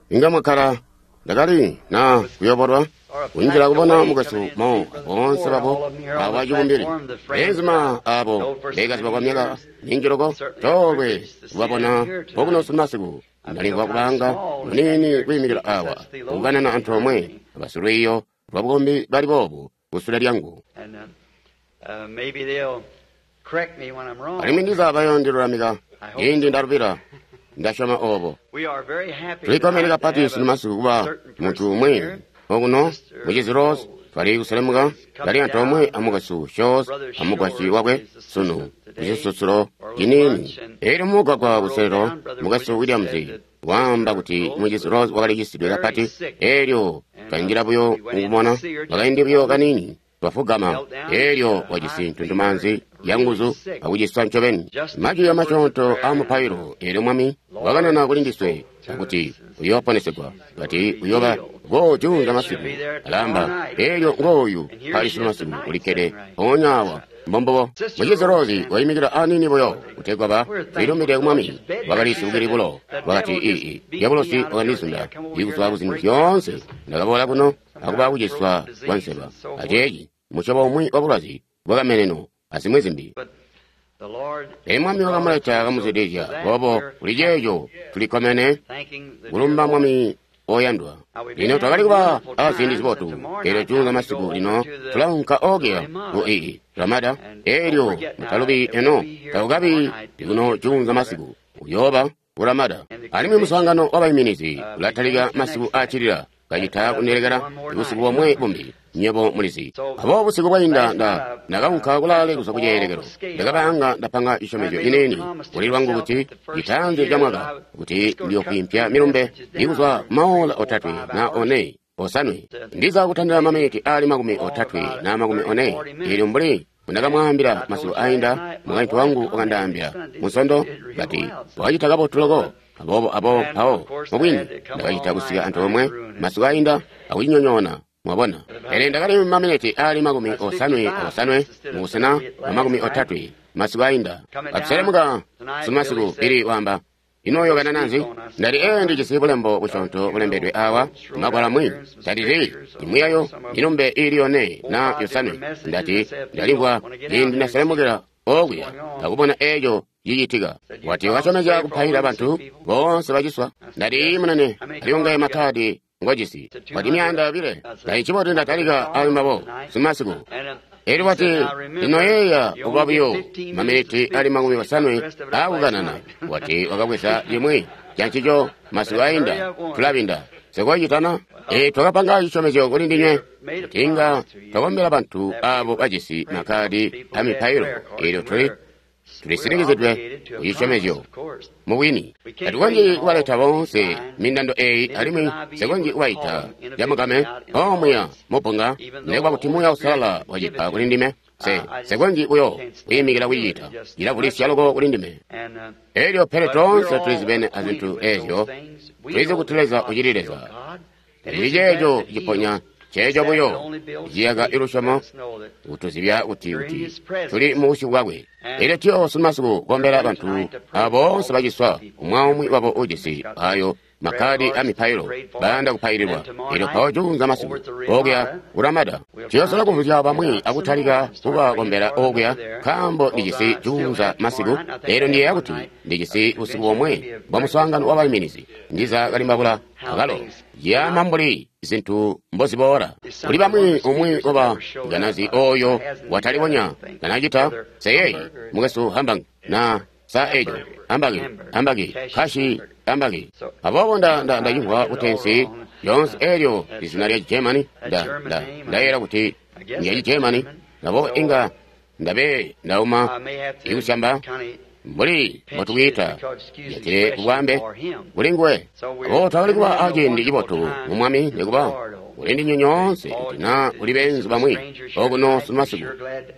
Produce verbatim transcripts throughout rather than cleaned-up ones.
Inga mwakkala ndakali na kuyobolwa kunjila kubona mukwesu Mo boonse babo awa cibumbili beenzuma abo bekaziba kwa myaka minji loko coolwe kubabona okuno sunu masiku. Ndalimvwa kubanga muniini kwiimikila awa kukanana antoomwe abasilwiiyo lwa bukombi bali boobu kusule lyangu, alimwi ndiza bayoondilulamika ciindi ndalubila. Ndasyoma obo. Tulikkomene kapati sunu masiku kuba muntu umwi okuno, Mucizi Rose. Twali kuselemuka kali antoomwe amukwesu Shores amukwasyi wakwe sunu kucisusulo ciniini. Elyo mumugwagwa kuselelo, Mukwesu Williams waamba kuti Mucizi Rose wakali cisidwe kapati. Elyo twanjila buyo mukumona bakaindi buyo kaniini, twafugama, elyo wajisi ntuntumaanzi yanguzu akuciswa ncobeni. Majwi amasyoonto aamupailo, eelyo Mwami wakanana kuli ndiswe akuti uyooponesegwa, kati uyooba go juunza masiku. Alaamba, elyo ngooyu mpali sunu masiku ulikkede mpoonya awa. Mbombubo. Mucizi Rose waimikila aniini buyo kutegwa ba tuilumide ku Mwami. Wakali sibukili bulo. Wakati, ii dyabulosi wakandizunda ikuzwa kuzintu zyoonse. Ndakaboola kuno akuba kuciswa kwa nseba aceeci musyobo umwi wa bulwazi bwakameneno azimwi zimbi. Pele Mwami wakamuleta kamuzwidilizya. Boobo kuli ceeco tulikkomene kulumba Mwami oyandwa. Lino twakali kuba aziindi zibotu. Elyo juunza masiku lino tulaunka okuya ku ii Ramada. Elyo mutalubi eno, takukabi likuno juunza masiku, uyooba ku Ramada. Alimwi muswaangano wabaiminizi ulatalika masiku aacilila, kacita kundilekela busiku bomwe bumbi, nywebo mulizi. Aboobo busiku bwainda nda ndakaunka kulaale kuzwa kuceelekelo. Ndakabaanga ndapanga cisyomezyo ciniini kuli lwangu kuti citaanzi ca mwaka kuti ndiyokwiimpya milumbe ikuzwa kumaola otatwe na one osanwe, ndiza kutandila maminiti ali makumi otatwe na makumi one. Elyo mbuli ndakamwaambila masiku ainda, mukaintu wangu wakandaambila Munsondo kati wakacita kabotu loko. Aboobo abo mpawo mubwini ndakacita kusika antoomwe masiku ainda akucinyonyoona, mwabona. Pele ndakali maminiti ali makumi osanwe osanwe mubusena bwa makumi otatwe masiku ainda. Katuselemuka sunu masiku, Billy waamba, ino uyokanana nzi? Ndati, ee, ndijisi bulembo busyoonto bulembedwe awa magwalo amwi. Ndati, imwi yayo milumbe iili yone na yosanwe. Ndati, ndalimvwa ciindi ndaselemukila okuya akubona eeco cicitika. Wati wakasyomezya kupailila bantu boonse baciswa. Ndati, munene, aliongaye makkaadi ngojisi? Wati, myaanda yobile. Ndati, ncibotu ndatalika ali mbabo sunu masiku. Elyo wati, lino yeeya kuba buyo maminiti ali makumi osanwe aakukanana. Wati wakabweza cimwi cancico masiku ainda, tulabinda. Sekocitana? E, twakapanga cisyomezyo kuli ndinywe kuti inga twakombela bantu abo bajisi makkaadi a mipailo. Elyo tuli tulisinikizidwe ku cisyomezyo mubwini. Tatukonzyi kubaleta boonse mindando eyi, alimwi nsikonzyi kubaita camukame omuya mubbunga, nekuba kuti Muuya Uusalala wacipa kuli ndime. Se nsikonzyi buyo kwiimikila kucicita, cilavulisya loko kuli ndime. Elyo pele toonse tulizibene azintu ezyo, tulizi kuti Leza ucili Leza. Tacili ceeco ciponya, ceeco buyo ciyaka ilusyomo kutuzibya kuti kuti tuli mu busyu bwakwe. Elyo tuyo sunu masiku kombela bantu abo boonse baciswa, umwi aumwi wabo ujisi ayo makkaadi a mipailo bayanda kupaililwa. Elyo mpawo juunza masiku okuya ku Ramada tuyosola kuvuzya bamwi akutalika kubakombela okuya, nkaambo ndijisi juunza masiku. Elyo ndiyeeya kuti ndijisi busiku bomwe bwa muswaangano wa baiminizi, ndiza kalimbabula akalo ciyaama mbuli zintu mboziboola. Kuli bamwi umwi waba ganazi oyo watalibonya kanacita seyeyi, mukwesu Hambang na sa ejo Hambagi Hambagi Kashi Hambagi. Aboobo nda nda ndacimvwa kutensi lyoonse elyo izina lya Germany. Nda nda ndayeera kuti ndya Germany, nabo inga ndabe ndauma ikusyamba mbuli mbotukwiita yatile kubwambe kuli nguwe. Aboobo twakali kuba aciindi cibotu mu Mwami, nikuba kuli ndinywe nyoonse kuti na kuli beenzu bamwi okuno sunu masiku.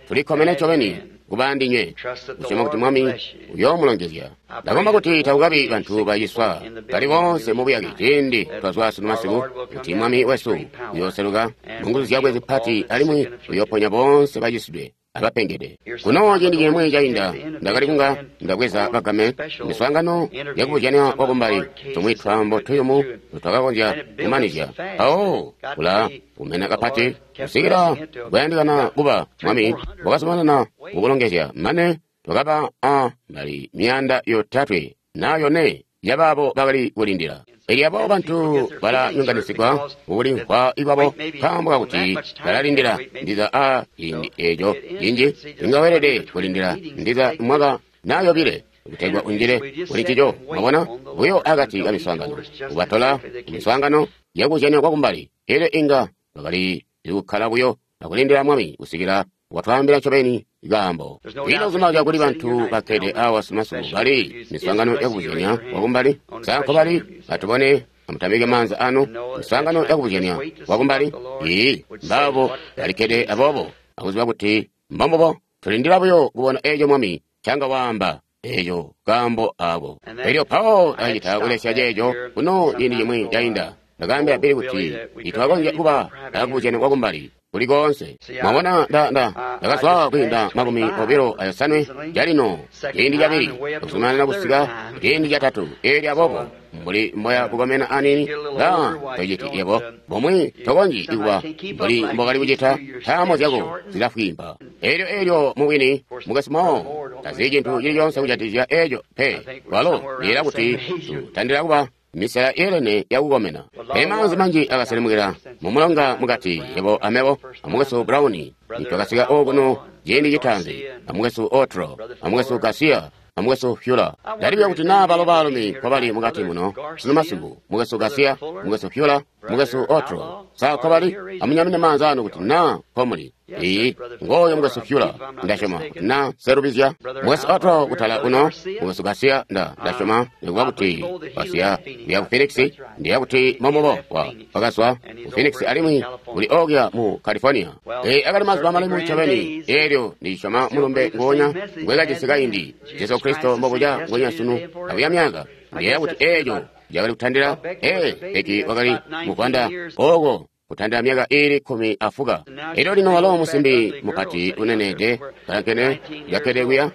Tulikkomene ncobeni kuba ndinywe, kusyoma kuti Mwami uyoomulongezya. Ndakomba kuti takukabi bantu baciswa bali boonse mu buyake ciindi twazwa sunu masiku, kuti Mwami wesu uyooseluka mu nguzu zyakwe zipati alimwi uyooponya boonse bacisidwe abapengede. Kuno ciindi cimwi cainda ndakali kunga ndabweza bagame miswaangano yakubuzyanya kwakumbali tumwi twaambo tuyumu twakakonzya kumanizya mpawo kula kumena kapati kusikila kwayandikana kuba Mwami wakazumanana kukulongezya mane twakaba a mali miyanda yotatwe na yone yabaabo bakali kulindila. Elyo abo bantu balanyonganisigwa kukulimvwa ikwabo nkaambo kakuti balalindila ndiza a ciindi eco cinji inga weelede kulindila ndiza mwaka na yobile kutegwa unjile kuli ncico. Mwabona buyo akati ka miswaangano kubatola miswaangano yakuzyanya kwakumbali, elyo inga bakali kukkala buyo akulindila Mwami kusikila watwaambila ncobeni kaambo. Ino kumaza kuli bantu bakkede awa sumasuku bali miswaangano yakubuzyanya kwakumbali sa nkobali atubone amutamike maanza anu miswaangano yakubuzyanya kwakumbali ii mbaabo balikkede aboobo akuziba kuti mbombubo tulindila buyo kubona eeco Mwami canga waamba eeco kaambo ako. Elyo mpawo acita kulesya ceeco kuno ciindi cimwi cainda ndakaambila Bili kuti itwakonzya kuba akubuzyanya kwakumbali kuli koonse. Mwabona nda nda ndakazwa kwiinda makumi obilo ayosanwe calino ciindi cabili akuzumanana kusika ciindi catatu. Elyo aboobo mbuli mboya kukomena anini nga tociti yebo bomwe tokonzyi kuba mbuli mbokali kucita ntaamo zyako zilafwimba. Elyo elyo mubwini mukwesu Moore tazi cintu cili coonse kujatikizya eco pe. Walo liyela kuti tutandila kuba misela yeelene yakukomena. Pele maanzi manji akaselemukila mumulonga mukati yebo amebo amukwesu Brown nitwakasika okuno ciindi citaanzi, amukwesu Otro, amukwesu Garcia, amukwesu Fuller. Ndalibya kuti naa balo baalumi nkobali mukati muno sunu masiku, mukwesu Garcia, mukwesu Fuller, mukwesu Otro, sa nkobali? Amunyamune maanza anu kuti naa nkomuli. Iyi ngoyo mukwesu Fuller, ndasyoma kuti naa serubizya. Mukwesu Otro kutala kuno, mukwesu Garcia nda ndasyoma nikuba kuti wasiya kuya ku Phoenix, ndiya kuti mombobo wa wakazwa ku Phoenix alimwi kuli okuya mu California. Ee akali mazuba malemu ncobeni, eelyo ndisyoma mulumbe nguwonya ngwekajisi kaindi, Jesu Kristo mbobuca nguwenya sunu akuya myaka. Ndiyeeya kuti eeco cakali kutandila ee Becky wakali muvwanda ooko kutandila myaka iili kkumi afuka. Elyo lino walo musimbi mupati uneneede kalankene kakkede kuya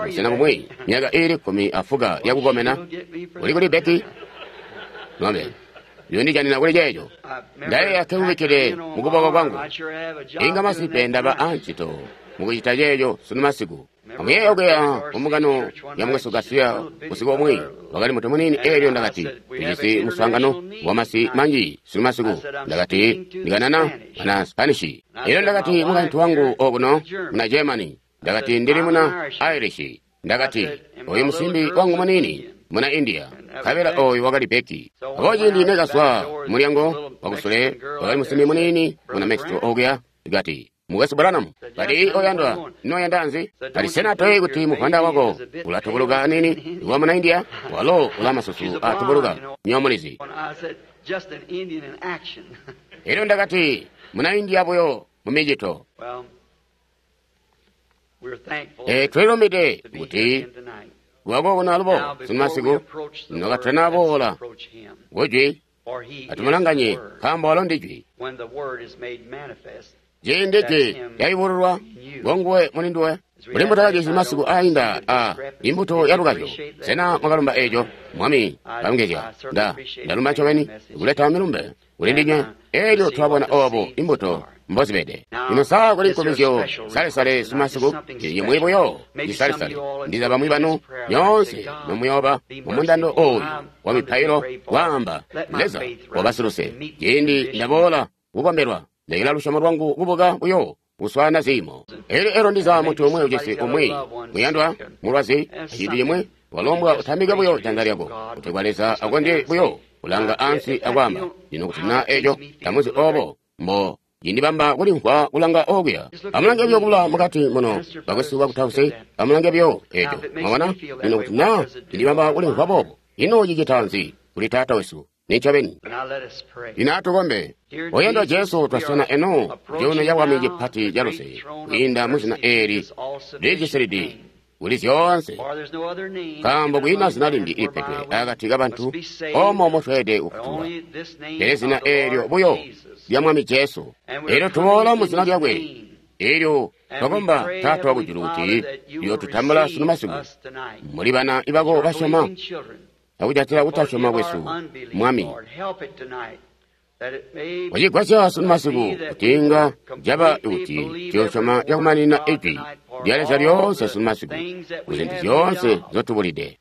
busena bumwi myaka iili kkumi afuka yakukomena. Uli kuli Becky? Ng'ombe yondijanina kuli ceeco. Ndayeeya kekubikkide mukuboko kwangu. Inga masipe ndaba ancito mukucita ceeco sunu masiku. Amuyeeya okuya kumbungano ya mukwesu Garcia usiku omwe wakali mutu muniini. Eelyo ndakati tujisi muswaangano wamasi manji sunu masiku. Ndakati ndikanana muna Spanish. Eelyo ndakati mukaintu wangu okuno muna Germany. Ndakati ndili muna Irish. Ndakati oyu musimbi wangu muniini muna India. Nkabela oyu wakali Becky. Abo ciindi nekazwa mulyango wakusule wakali musimbi muniini muna Mexico okuya. Ndikati mukwesu Branham, kati oyandwa noyanda nzi? Kati sena toyi kuti muvwanda wako ulatubuluka anini wa muna India? Walo ula masusu atubuluka nyomulizi. Elyo ndakati muna India buyo mumicito. E twilumide kuti lwakokuna alubo sunu masiku nokatana boola kujwi atumulanganye nkaambo walo ndijwi. Ciindi jwi lyayubululwa ngonguwe mulinduwe. Kuli mbuto yakajisi masiku ainda a imbuto ya lukazyo. Sena mwakalumba eeco? Mwami kalongezya. Nda ndalumba ncobeni kuleta milumbe kuli ndinywe. Eelyo twabona oobo imbuto mbozibede. Lino saa kuli nkomezyo salesale sumasiku cimwi buyo cisalesale. Ndiza bamwi banu nyoonse nomuyooba mumundando ooyu wa mipailo waamba Leza wabasiluse. Ciindi ndaboola kukombelwa lekela lusyomo lwangu kubuka buyo kuswaana ziimo. Elyo elo ndiza muntu umwi ujisi umwi muyandwa mulwazi aciindi cimwi walombwa utambike buyo janza lyako kutegwa Leza akonzye buyo kulanga ansi akwaamba lino kuti na eco tamuzi obo mbo cindibamba kulimvwa kulanga okuya. Amulange buyo kula mukati muno bakwesu bakutausi, amulange buyo eco mwabona lino kuti na cindibamba kulimvwa boobo. Ino cicita nzi kuli Taata wesu? Nincobeni. Lino atukombe. Oyandwa Jesu, twaswena eno cuuno ca bwami cipati ca luse kwiinda mu zina eeli lijisilidi kuli zyoonse, nkaambo kwiina zina limbi lipedwe akati kabantu omo motweelede kufutulwa pele zina eelyo buyo lya Mwami Jesu. Eelyo tuboola mu zina lyakwe Elyo twakomba Taata wakujulu kuti uyotutambula sunu masiku muli bana ibako basyoma akujatila kutasyoma kwesu Mwami. Wacigwasya sunu masiku kuti inga caba kuti tuyosyoma cakumaninina Ijwi lya Leza lyoonse sunu masiku kuzintu zyoonse nzotubulide.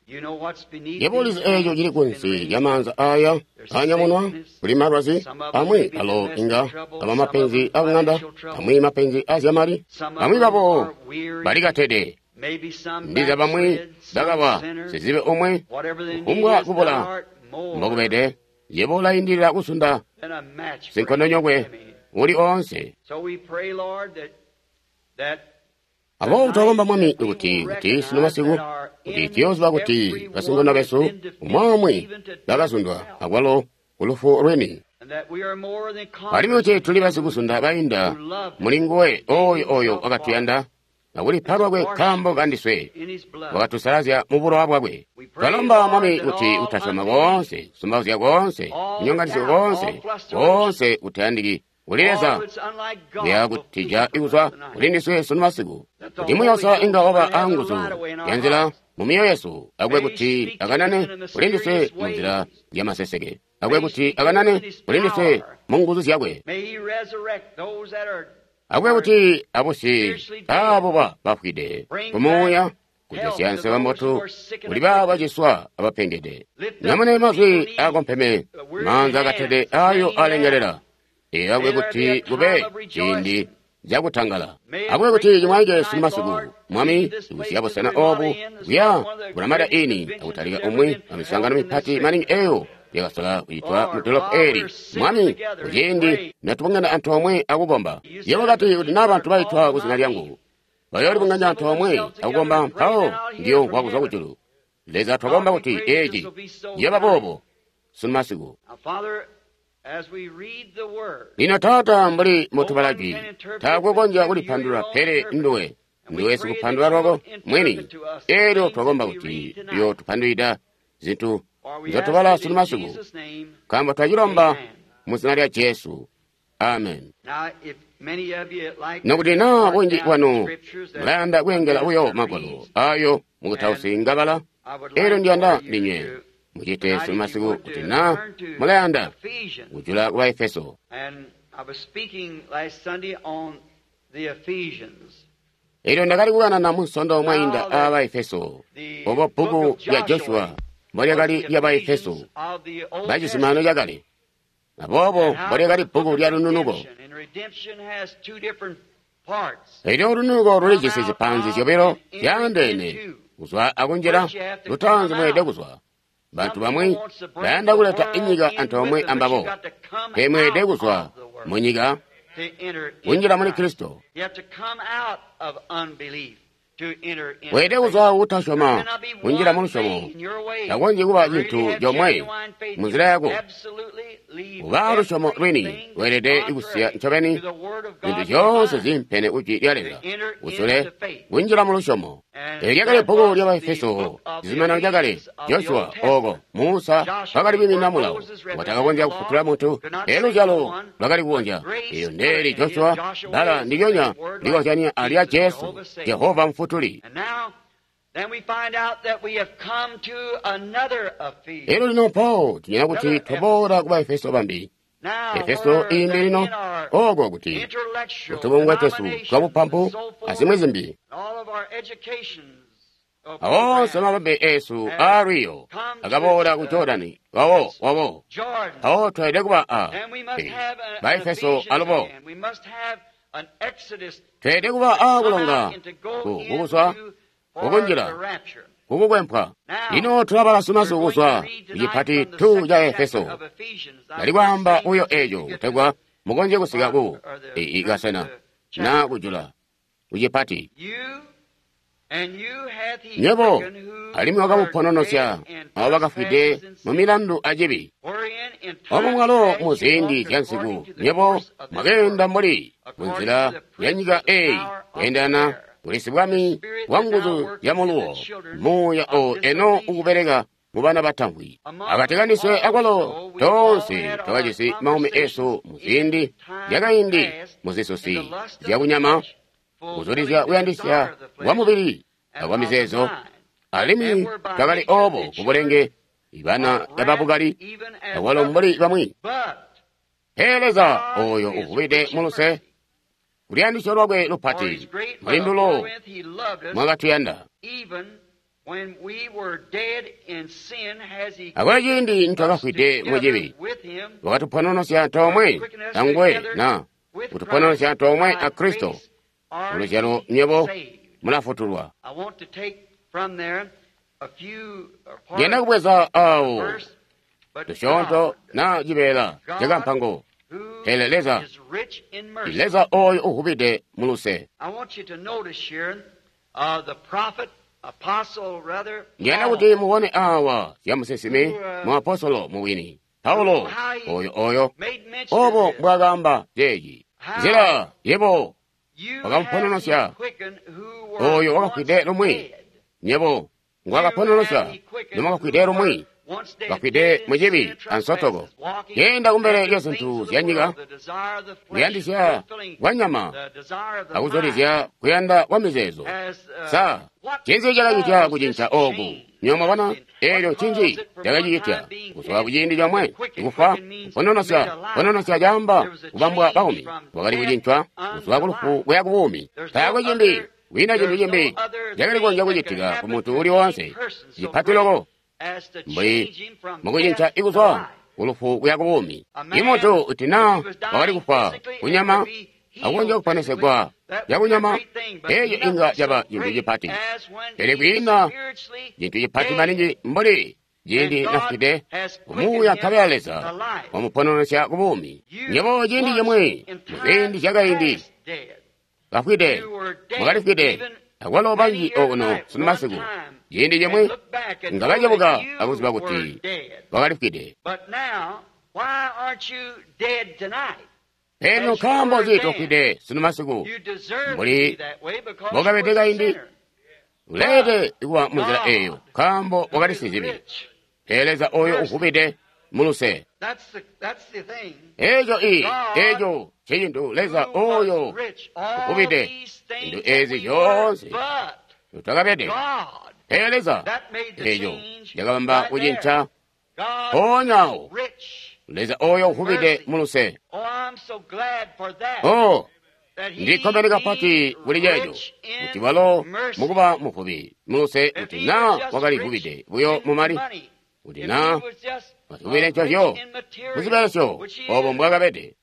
Yebo ulizi eeco cili kunsi lya maanza aya aanyamunwa kuli malwazi amwi alo inga aba mapenzi akuŋanda, amwi mapenzi azyamali, amwi babo balikatede, ndiza bamwi bakaba sizibe omwe kufumbwa kubula mbokubede. Yebo ulaindilila kusunda sinkondonyokwe uli oonse. Aboobo twakomba Mwami kuti kuti sunu masiku kuti tuyooziba kuti basinkondo besu umwi bakazundwa akwalo kulufu lweni, alimwi kuti tuli basikusunda bainda muli nguwe oyo oyo wakatuyanda akulipa lwakwe nkaambo kandiswe, wakatusalazya mu bulowa bwakwe. Twalomba Mwami kuti kutasyoma koonse, kusumbauzya koonse, kunyonganisya koonse, koonse kutayandiki kuli Leza kuya kutija kuzwa kuli ndiswe sunu masiku, kuti Muuya inga waba anguzu ya nzila mu myoyo yesu, akube kuti akanane kuli ndiswe mu nzila ya maseseke, akube kuti akanane kuli ndiswe mu nguzu zyakwe, akube kuti abusye aabo bafwide kumuuya, kujosya nseba mbotu kuli baabo baciswa abapengede. Nyamune mazwi aakompeme, maanza akatede ayo alengelela. Ee, akube kuti kube ciindi cakutangala, akube kuti cimwaike sunu masiku Mwami, kusiya busena obu kuya kulamada ini akutalika umwi amiswaangano mipati maningi eyo yakasola kucitwa mu dolopo eli. Mwami, kuciindi natubungana antoomwe akukomba, yebo kati kuti naa bantu baitwa ku zina lyangu bayoolibunganya antoomwe akukomba, mpawo ndiyomvwa kuzwa kujulu. Leza, twakomba kuti eci ciyooba boobo sunu masiku. Lino Taata, mbuli mutubala jwi, taakwe konzya kulipandulula pele nduwe, nduwe sikupandulula lwako mwini. Elyo twakomba kuti uyootupandulwida zintu nzotubala sunu masiku, nkaambo twacilomba mu zina lya Jesu. Amen. Nokuti naa bunji bwanu mulayanda kweengela buyo magwalo ayo mukutausi ngabala, elyo ndiyanda ndinywe mucite sunu masiku kuti naa mulayanda kujula ku Efeso. Elyo ndakali kukanana mu Nsondo mwainda aa Efeso, obo bbuku lya Joshua mbolyakali lya Baefeso bacizuminano cakale, aboobo mbolyakali bbuku lya lununuko. Elyo lununuko lulijisi zipanzi zyobilo zyaandeene, kuzwa akunjila. Lutaanzi mweelede kuzwa. Bantu bamwi bayanda kuleta inyika antoomwe ambabo, pele mweelede kuzwa munyika kunjila muli Kristo. Weelede kuzwa kutasyoma kunjila mu lusyomo. Takonzyi kuba cintu comwe munzila yako. Kuba lusyomo lwini weelede kusiya ncobeni zintu zyoonse ziimpene ku Jwi lya Leza, usule kunjila mu lusyomo. Eli lyakali bbuku lya Baefeso, cizuminano cakale, Joshua ooko Musa wakali kwiiminina mulawo watakakonzya kufutula muntu, pele luzyalo lwakali kukonzya. Elyo ndeeli Joshua bbala ndilyonya likozyanya alya Jesu, Jehova Mufutuli. Elyo lino mpawo tunyina kuti twaboola ku Baefeso bambi. Efeso iimbi lino, ooko kuti kutubungwe twesu twabupampu azimwi zimbi, awoonse mabambe esu aalwiyo akaboola ku Jordani wawo wawo. Mpawo tweelede kuba a Baefeso alubo. Tweelede kuba a kulonga kukuzwa kukunjila kukukwempwa. Lino tulabala sunu masiku kuzwa kucipati two ca Efeso. Ndali kwaamba buyo eco kutegwa mukonzye kusika ku kasena na kujula kucipati. Nywebo alimwi wakamupononosya abo bakafwide mu milandu acibi, omo mwalo mu ziindi zyansiku nywebo mwakeenda mbuli munzila ya nyika eyi, kweendelana kuli sibwami bwa nguzu zya muluwo, muuya o eno ukubeleka mu bana batamvwi. Akati kandiswe akwalo toonse twakajisi maumi esu mu ziindi zyakaindi mu zisusi zyakunyama, Kuzulizya kuyandisya kwa mubili akwa mizeezo, alimwi twakali obo kubulenge ibana babukali akwalo mbuli bamwi. Pele Leza oyo uvubide muluse, kuluyandisyo lwakwe lupati muli ndulo mwakatuyanda. Akwalo ciindi nitwakafwide mucibi, wakatupononosya antoomwe anguwe na kutupononosya antoomwe a Kristo. Muluzyalo nywebo mulafutulwa. Ndiyanda kubweza awo tusyoonto na cibeela cakampango. Pele Leza, Leza oyo uvubide muluse. Ndiyanda kuti mubone awa zya musinsimi muapostolo muwini Paulo oyo oyo obo mbwakaamba ceeci. Nzila yebo wakamupononosya oyo wakafwide lumwi, nyebo ngwakapononosya nomwakafwide lumwi, bafwide mucibi ansotoko, yenda kumbele lya zintu zya nyika, kuyandisya kwa nyama akuzulizya kuyanda kwa mizeezo. Sa cinzi cakacitya kucinca oku? Nywebo mwabona eelyo ncinzi cakacicitya kuzwa kuciindi comwe kufa kupononosya. Kupononosya caamba kubambwa baumi, wakali kucincwa kuzwa kulufu kuya kubuumi. Taakwe cimbi, kwiina cintu cimbi cakali kukonzya kucitika ku muntu uli woonse cipati loko mbuli mukucinca ikuzwa kulufu kuya kubuumi. Imuntu kuti naa wakali kufwa kunyama akukonzya kuponesegwa cakunyama, eeco inga caba cintu cipati. Pele kwiina cintu cipati maningi mbuli ciindi nafwide kumuuya nkabela Leza wamupononosya kubuumi. Nywebo ciindi cimwi muziindi zyakaindi kafwide, mwakalifwide, akwalo banji okuno sunu masiku ciindi cimwi nga bacebuka akuziba kuti bakalifwide. Pele nkaambo nzi tofwide sunu masiku mbuli mbokabede kaindi? Uleelede kuba munzila eeyo nkaambo wakali sizibi. Pele Leza oyo uvubide muluse. Eeco i eeco ncecintu Leza oyo uvubide zintu eezi zyoonse twakabede. Pele Leza eeco cakabamba kucinca mpoonyaawo. Leza oyo uvubide muluse. Oh, ndikkomene kapati kuli ceeco kuti walo mukuba muvubi muluse, kuti naa wakali vubide buyo mumali, kuti naa wazivubile ncozyo muzibelesyo obo mbwakabede.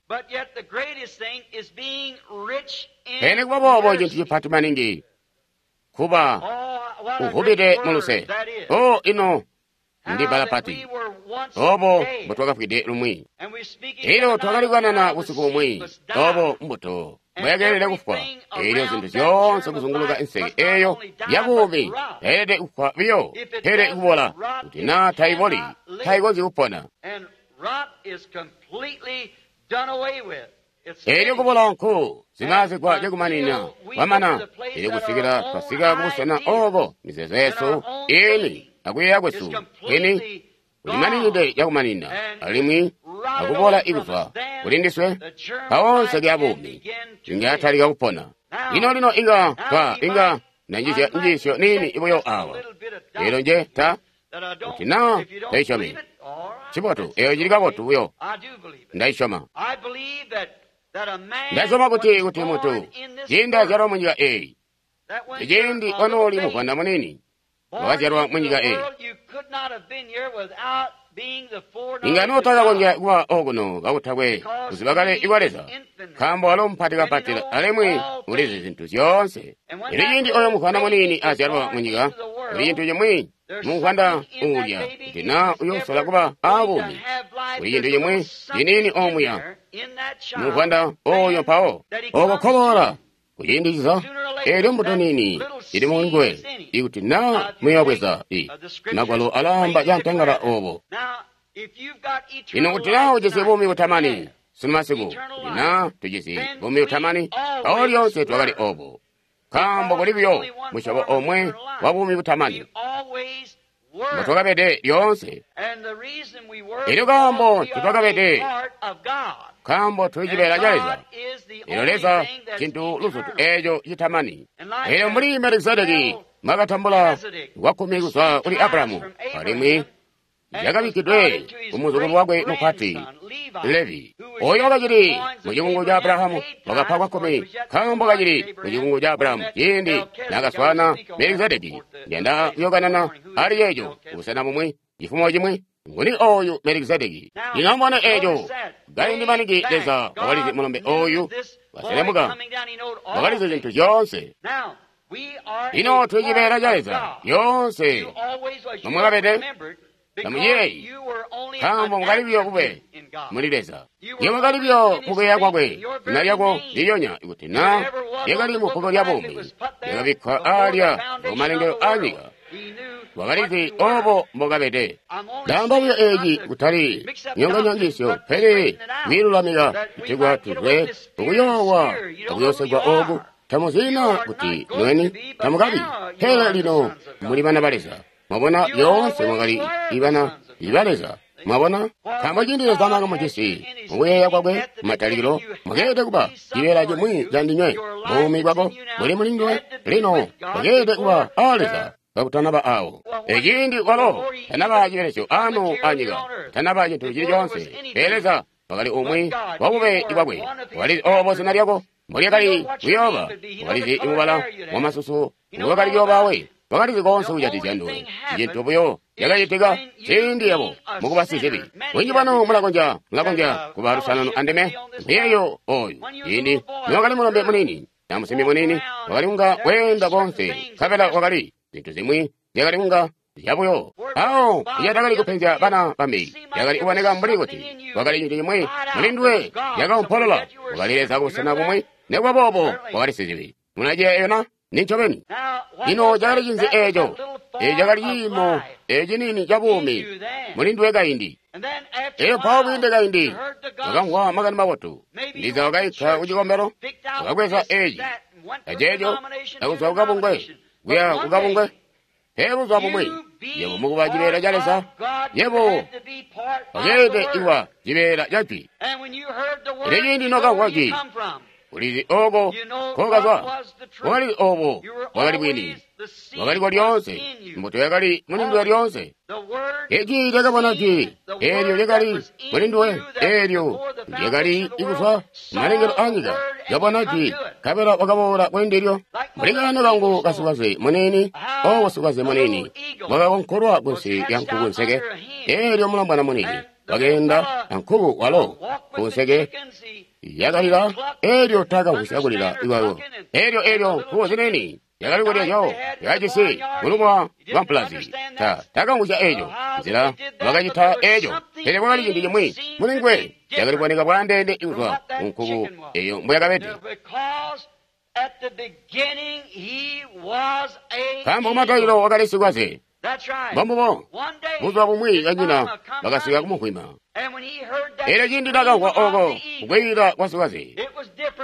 Pele nikuba boobo cintu cipati maningi kuba uvubide muluse. Oh, ino ndi bbala pati obo mbotwakafwide lumwi. Elyo twakali kukanana busiku bumwi obo mbuto mbwayakeelede kufwa. Elyo zintu zyoonse kuzunguluka inseke eyo yabuumi tayeelede kufwa biyo, pele kubola. Kuti naa taiboli, taikonzyi kupona. Elyo kubola nku zimaazigwa cakumanina kwamana. Elyo kusikila twasika kubusena obo mizeezo yesu ini akuyeeya kwesu kwini kulimaninide cakumanina alimwi akubola ikuzwa kuli ndiswe, mpawo nseke ya buumi inga yatalika kupona. Lino lino inga twa inga nanjizya njiisyo niini buyo awa elyo nje ta kuti naa taisyomi. Cibotu, eyo cili kabotu buyo. Ndaisyoma. Ndasyoma kuti kuti muntu ciindi azyalwa munyika eyi, ciindi wanooli muvwanda muniini wakazyalwa munyika eyi, inga nootakakonzya kuba okuno kakutakwe kuziba kale ikwa Leza, nkaambo walo mupati kapati alimwi ulizi zintu zyoonse. Elyo ciindi oyo muvwanda muniini azyalwa munyika, kuli cintu cimwi muvwanda uulya kuti naa uyoosola kuba aabuumi, kuli cintu cimwi ciniini omuya muvwanda oyo mpawo oko koboola kuciindi ciza. Elyo mbuto niini ili munguwe, ikuti naa muyoobweza i Magwalo alaamba cantangala obo. Lino kuti naa ujisi buumi butamani sunu masiku, kuti naa tujisi buumi butamani, mpawo lyoonse twakali obo, nkaambo kuli buyo musyobo omwe wa buumi butamani. mbotwakabede lyoonse. Elyo kaambo ncotwakabede, nkaambo tuli cibeela ca Leza. Elyo Leza cintu luzutu eeco citamani. Elyo mbuli Melikisedeki mwakatambula kwakkumi kuzwa kuli Abrahamu, alimwi yakabikkidwe ku muzukulu wakwe mupati Levi, oyo wakacili mu cikungu ca Abrahamu, wakapa kwakkumi nkaambo kacili mu cikungu ca Abrahamu ciindi naakaswaana Melikisedeki. Ndiyanda kuyokanana ali ceeco kubusena bumwi cifumo cimwi. Nguni oyu Melikisedeki? Lino amubone eeco. Kaindi maningi Leza wakalizi mulombe oyu waselemuka, wakalizi zintu zyoonse. Lino tuli cibeela ca Leza lyoonse nomwakabede. Tamuyeeyi, nkaambo mukali buyo bube muli Leza. Yebo wakali buyo mukuyeeya kwakwe, zina lyako ndilyonya ikuti na lyakali mu bbuku lya buumi, lyakabikkwa aalya kumalengelo aanyika. Wakalizi obo mbokabede. Ndaamba buyo eeci kutali nyonganyangisyo, pele kwiilulamika kutegwa tuzwe kukuyoowa akuyoosegwa ooku. Tamuzina kuti nweni tamukabi, pele lino muli bana ba Leza. Mwabona, lyoonse mwakali ibana iba Leza. Mwabona, nkaambo ciindi Leza nakamujisi mukuyeeya kwakwe matalikilo, mwakeelede kuba cibeela cimwi ca ndinywe. Buumi bwako buli muli nduwe lino, bwakeelede kuba a Leza kakutanaba awo. Eciindi walo tanaba cibelesyo ano anyika, tanaba cintu cili coonse, pele Leza wakali umwi wa bube bwakwe. Wakalizi obo zina lyako mbolyakali kuyooba, wakalizi mubala wamasusu ngowakali kuyooba we. Wakalizi koonse kujatikizya nduwe. Cintu buyo cakacitika ciindi yabo mukuba sizibi. Bunji bwanu mulakonzya mulakonzya kuba lusanano andime. Mbuyeeyo oyu ciindi niwakali mulombe muniini na musimbi muniini, wakali kunga weenda koonse, nkabela wakali zintu zimwi zyakali kunga zyabuyo. Awo icatakali kupenzya bana bambi, yakali kuboneka mbuli kuti wakali cintu cimwi muli nduwe yakaumpolola. Wakali Leza kubusena bumwi, nekuba boobo wakali sizibi. Munaciyeeyo na? Nincobeni. Lino cakali cinzi eeco? Eeco cakali ciimo eciniini ca buumi muli nduwe kaindi. Elyo mpawo kwiinde kaindi wakamvwa makani mabotu. Ndiza wakaitwa ku cikombelo, wakabweza eci aceeco, akuzwa kukabungwe kuya kukabungwe. Pele buzuba bumwi yebo mukuba cibeela ca Leza, yebo wakeelede kuba cibeela ca Jwi. Elyo ciindi nokamvwa Jwi, ulizi oko kokazwa, wakalizi obo bwakali bwini, wakaliko lyoonse, mbuto yakali muli nduwe lyoonse. Eci lyakabona Jwi eelyo lyakali muli nduwe, eelyo lyakali ikuzwa kumalengelo aanyika, lyabona Jwi, nkabela wakaboola kuli ndilyo. Mbuli kaano kangu kasikwaze muniini, obo sikwaze muniini wakakonkolwa kunsi lya nkuku nseke, eelyo mulombwana muniini wakeenda ankuku walo kunseke yakalila, eelyo takamvwisya kulila kwayo. Eelyo eelyo nkuku ziniini yakali kulya zyawo yakajisi mulumwa lwa mpulazi. Ta takamvwisya eeco nzila wakacita eeco, pele kwakali cintu cimwi muli nguwe yakali kuboneka bwaandeene kuzwa ku nkuku eyo mbuyakabede. Nkaambo kumatalikilo wakali sikwaze. Mbombubo, buzuba bumwi kanyina bakasika kumukwima. Elyo ciindi nakamvwa oko kukwiyila kwa sikwaze,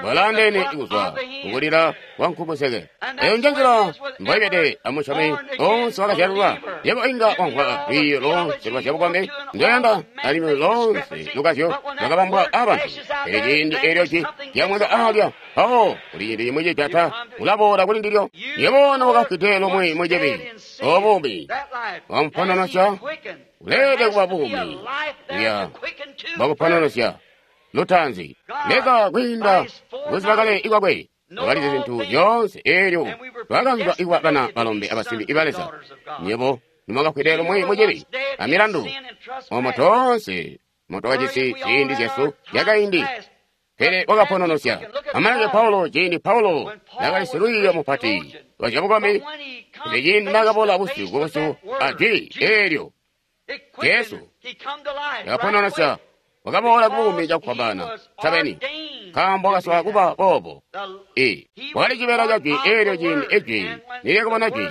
bwalaandeene kuzwa kukulila kwa nkukuseke. Eyo nje nzila mboibede amusyomi oonse wakazyalulwa. Yebo inga wamvwa lwiiyo loonse lwa zyabukombi ndoyanda, alimwi loonse lukazyo lwakabambwa abantu. Pele ciindi eelyo jwi lyamweka aalya, mpawo kuli cintu cimwi cijata, ulaboola kuli ndilyo. Yebo nowakafwide lomwe mucibi, obuumi wamupononosya, uleelede kuba buumi buya bwakupononosya lutaanzi. Leza kwiinda kuziba kale ikwakwe wakalizi zintu zyoonse, eelyo lwakanzwa ikuba bana balombe abasimbi iba Leza. Nyebo nimwakafwide lomwe mucibi amilandu, omo toonse motwakajisi ziindi zyesu zyakaindi, pele wakapononosya. Amaleke Paulo, ciindi Paulo nakali silwiiyo mupati wa zyabukombi, pele ciindi nakaboola busyu kubusyu a jwi eelyo Jesu yakapononosya, wakaboola kubuumi cakufwambaana ncobeni, nkaambo wakasola kuba boobo. I wakali cibeela ca jwi eelyo ciindi ejwi nilyakabona jwi,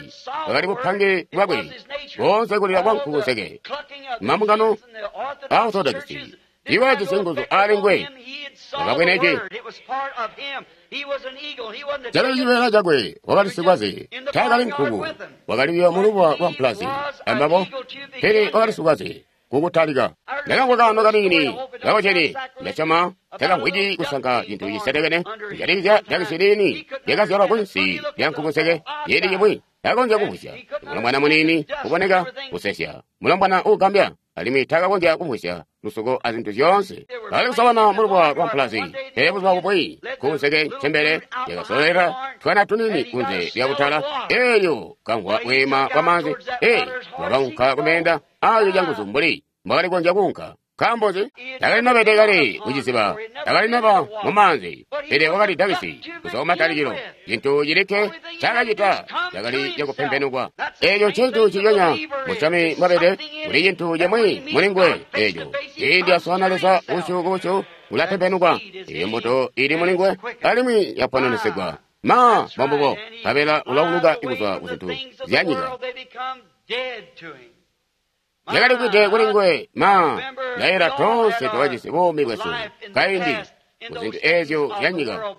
bwakali bupange bwakwe boonse kulila kwa nkukuseke. Mambungano a Orthodoxi Tiibakajisi nguzu aali nguwe. Wakabwene ci. Cakali cibeela cakwe, wakali sikwaze, taakali nkuku, wakali buyo mulubuwa lwa mpulazi ambabo, pele wakali sikwaze kukutalika. Ndakamvwa kaano kaniini kakozyene, ndasyoma takamvwiki kusanka cintu cisetekene kujatikizya dakisi lini lyakazyalwa kunsi lya nkukuseke ciindi cimwi. Takakonzya kumvwisya. Mulombwana muniini uboneka kusesya, mulombwana uugambya, alimwi takakonzya kumvwisya lusuko azintu zyoonse. Bakali kusobana mulubuwa lwa mpulazi, pele buzuba bumwi nkukuseke ncembele yakasololera twana tuniini kunze lya butala, eelyo kamvwa bweema bwamaanzi, ee, wakaunka kumeenda aayo canguzu mbuli mbwakali kukonzya kuunka. Nkaambo nzi? Takali nabede kale kuciziba, takali naba mumaanzi, pele wakali dakisi kuzwa kumatalikilo. Cintu cilikke ncaakacita cakali cakupempenukwa. Eeco ncintu nciconya musyomi mbwabede, kuli cintu cimwi muli nguwe eeco. Ciindi aswaana Leza busyu kubusyu, ulapempenukwa. Eeyo mbuto ili muli nguwe alimwi yapononesegwa. Ma mbombubo, nkabela ulauluka kuzwa kuzintu zyanyika. Yakali kwide kuli nguwe, ma ndayeera toonse twakajisi buumi bwesu kaindi kuzintu eezyo zyanyika.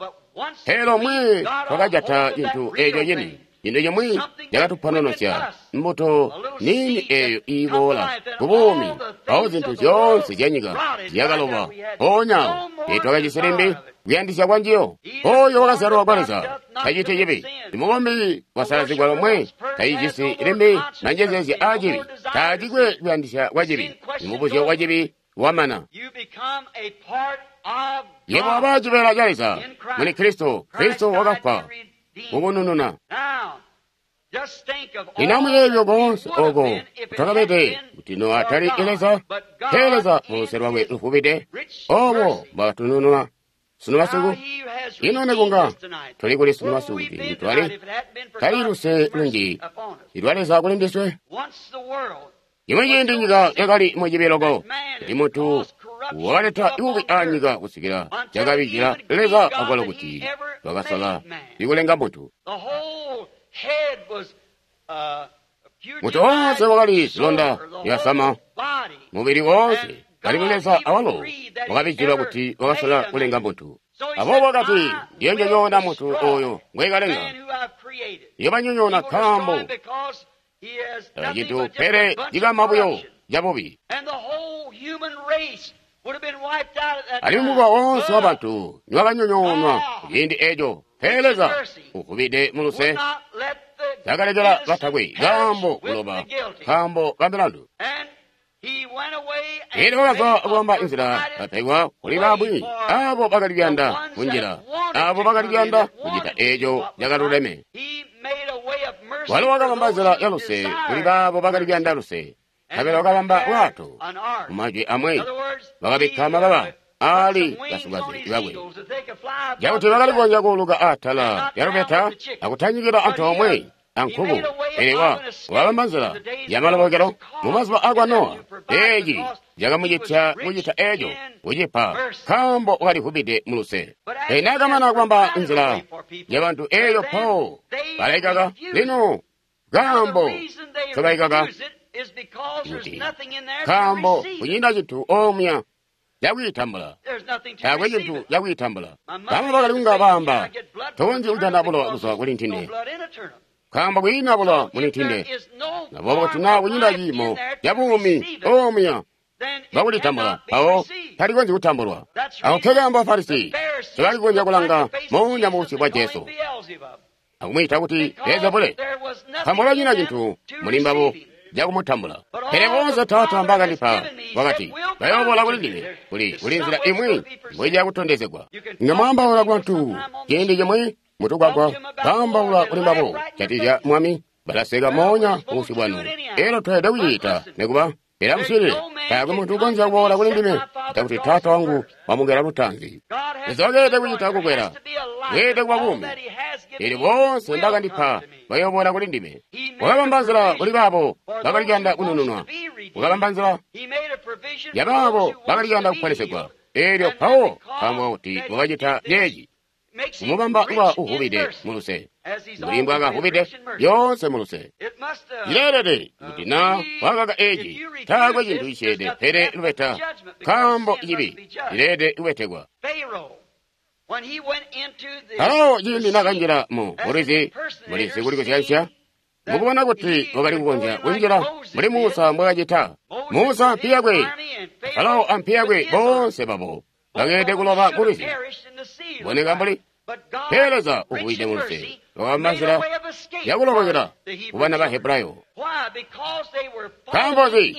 Pele lomwe twakajata cintu eeco cini, cintu cimwi cakatupononosya, mbuto niini eeyo iiboola kubuumi, mpawo zintu zyoonse zyanyika zyakaloba. Mpoonya awo teetwakajisi limbi kuyandisya kwanjiyo. Oyo wakazyalwa kwa Leza taciti cibi. Imukombi wasalazigwa lomwe tacijisi limbi manjezeezya aa cibi, taacikwe kuyandisya kwa cibi. Imubuzyo wa cibi wamana. Yebo waba cibeela ca Leza muli Kristo. Kristo wakafwa kukunununa. Lino amuyeeye koonse oko twakabede kuti no atali Leza, pele Leza muluse lwakwe luvubide, obo mbwakatunununa sunu masiku. Ino nekunga tuli kuli sunu masiku kuti ntitwali tali luse lunji ilwa Leza kuli ndiswe. Cimwi ciindi nyika yakali mucibi loko, kuti muntu wakaleta bubi anyika kusikila cakabijila Leza akwalo kuti wakasala ikulenga muntu. Muntu woonse wakali zilonda zyasama mubili woonse, alimwi Leza awalo wakabijilwa kuti wakasala kulenga muntu. Aboobo wakati, ndiyonyonyoona muntu oyo ngwekalenga, ndiyobanyonyoona nkaambo cintu pele cikama buyo cabubi. Alimwi mukowa woonse wabantu niwakanyonyoonwa kuciindi eeco, pele Leza uvubide muluse takalekela batakwe kaambo kuloba nkaambo ka milandu. Elyo wakazwa kubamba inzila bapegwa kuli bamwi abo bakali kuyanda kunjila, abo bakali kuyanda kucita eeco cakaluleme. Walo wakabamba nzila ya luse kuli baabo bakali kuyanda luse, nkabela wakabamba bwato. Mumajwi amwi, wakabikka mababa aali basikaze bakwe, cakuti bakali kukonzya kuuluka atala lya lubeta akutanyikila antoomwe ankuku. Pele wa wakabamba nzila yamalobokelo mumazuba akwa Nowa. Eeci cakamucitya kucita eeco kucipa, nkaambo wakalivubide muluse. Pele naakamana kubamba nzila yabantu eeyo, mpawo balaikaka. Lino kaambo ncobaikaka kuti nkaambo kunyina cintu omuya cakwiitambula, taakwe cintu cakwiitambula. Bamwi bakali kunga baamba, tokonzyi kujana bulowa kuzwa kuli ntinde, nkaambo kwiina bulowa muli ntinde. Aboobo kuti naa kunyina ciimo cabuumi omuya bwakulitambula, mpawo talikonzyi kutambulwa. Ako nkekaambo Bafarisi ncobakali kukonzya kulanga moonya mubusyu bwa Jesu akumwiita kuti Beelzebule, nkaambo bakanyina cintu muli mbabo cakumutambula. Pele boonse Taata mbaakandipa, wakati, bayooboola kuli ndime. Kuli kuli nzila imwi mbwiija kutondezegwa. Nga mwaambaula kubantu ciindi cimwi mutugwagwa, kaambaula kuli mbabo jatizya Mwami, balaseka moonya kubusyu bwanu. Elyo tweelede kuciita nikuba. Pele amuswiilile, taakwe muntu ukonzya kuboola kuli ndime cakuti Taata wangu wamugela lutaanzi. Leza wakeelede kucita kukwela, bweelede kuba buumi. Eelyo boonse mbaakandipa bayooboola kuli ndime. Wakabamba nzila kuli baabo bakali kuyanda kunununwa, wakabamba nzila yabaabo bakali kuyanda kuponesegwa. Eelyo mpawo nkaambo kuti wakacita ceeci, Kumubamba kuba uvubide muluse. Mbuli mbwakavubide lyoonse muluse. Cileelede kuti na wakaka eci, taakwe cintu cisyeede pele lubeta, nkaambo cibi cileelede kubetekwa. Farao ciindi nakanjila mu bulwizi, mulizi kuli kusyansya, mukubona kuti wakali kukonzya kunjila mbuli Musa mbwakacita. Musa ampi yakwe, Farao ampi yakwe boonse babo bakeelede kuloba kulwizi. Boneka mbuli pele Leza uvubide muluse wakabamba nzila yakulobokela kubana ba Hebrayo. Nkaambo nzi?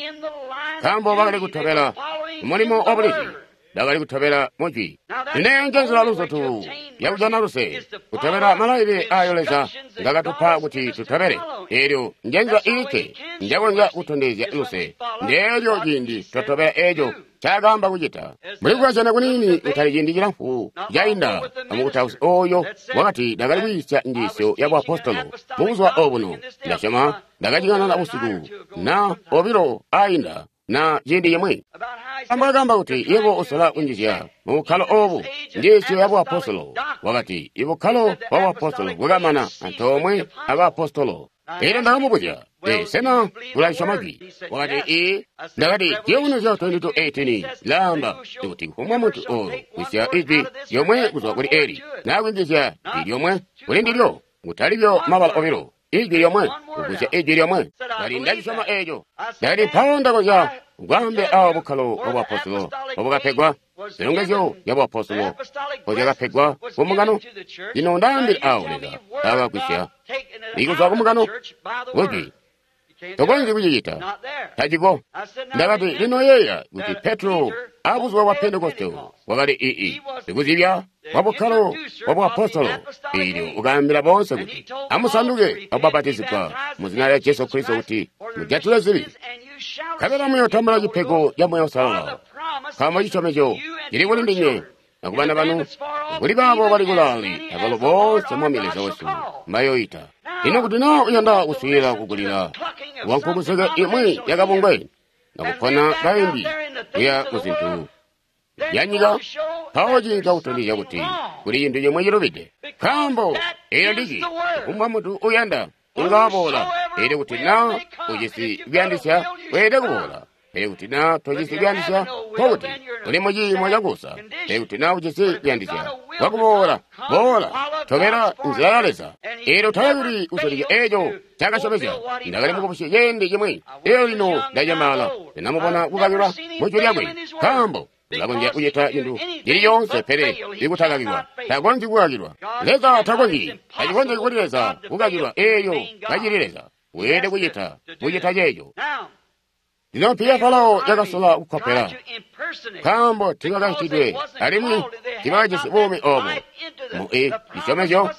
Nkaambo bakali kutobela mulimo wa bulizi, bakali kutobela mujwi. Ino nje nzila luzutu yakujana luse, kutobela malailile ayo Leza ngakatupa kuti tutobele. Eelyo nje nzila ilikke njakonzya kutondezya luse, ndeelyo ciindi twatobela eeco ncaakaamba kucita. Mbuli kukazyana kuniini kutali ciindi cilamfu cainda amukutausi ooyo wakati ndakali kwiisya njiisyo ya buapostolo mubuzuba obuno. Ndasyoma ndakacikanana busiku na obilo ainda na ciindi cimwi. Ambwakaamba kuti yebo usola kunjizya mubukkalo oobu njiisyo ya buapostolo. Wakati ibukkalo bwa buapostolo bwakamana antoomwe abaapostolo. Eelyo ndakamubuzya, ee, sena ulasyoma jwi? Wakati ee. Ndakati Ciyubunuzyo twenty-two eighteen laamba kuti kufumbwa muntu ooyo kwisya ijwi lyomwe kuzwa kuli eli, naa kwinjizya jwi lyomwe kuli ndilyo, kutalibyo mabala obilo, ijwi lyomwe, kugwisya ijwi lyomwe. Ndakati ndacisyoma eeco. Ndakati mpawo ndakonzya kwaambila awo bukkalo bwa buapostolo obwakapegwa, zilongezyo zya buapostolo mpozyakapegwa kumbungano. Lino ndaambila awo Leza akagwisya ikuzwa kumbungano kujwi. Tokonzyi kucicita, taciko. Ndakati lino yeeya kuti Petro abuzuba bwa Pentekoste wakali ii sikuzibya wa bukkalo bwa buapostolo. Eelyo ukaambila boonse kuti amusanduke akubapatizigwa mu zina lya Jesu Kristo kuti mujatile zibi, nkabela muyotambula cipego ca Moyo Uusalala, nkaambo cisyomezyo cili kuli ndinywe akubana banu, kuli baabo bali kulaale, abalo boonse Mwami Leza wesu mbayoyita. Lino kuti naa uyanda kuswiilila kukulila wankukuseke imwi yakabungwe nakupona kaindi kuya kuzintu yanyika, mpawo cinka kutondezya kuti kuli cintu cimwe cilubide. Nkaambo eyo ndijwi kufumbwa muntu uyanda inga waboola. Eelyo kuti naa ujisi kuyandisya weelede kuboola. Pele kuti naa tojisi kuyandisya, nkokuti uli muciimo cakuusa. Pele kuti naa ujisi kuyandisya kwakuboola, boola, tobela nzila ya Leza. Eelyo talakuli kusoleka eeco ncaakasyomezya. Ndakali mukubusi ciindi cimwi, eelyo lino ndacembaala, ndinamubona kukakilwa mujwi lyakwe. Nkaambo ulakonzya kucita cintu cili coonse pele ikutakakilwa. Takonzyi kukakilwa. Leza takonzyi. Tacikonzyi kuli Leza kukakilwa eelyo kacili Leza. Weelede kucita kucita ceeco. Lino mpi ya Farao yakasola kukkopela, nkaambo tiibakacitidwe alimwi tiibakajisi buumi oobo. Mu i cisyomezyo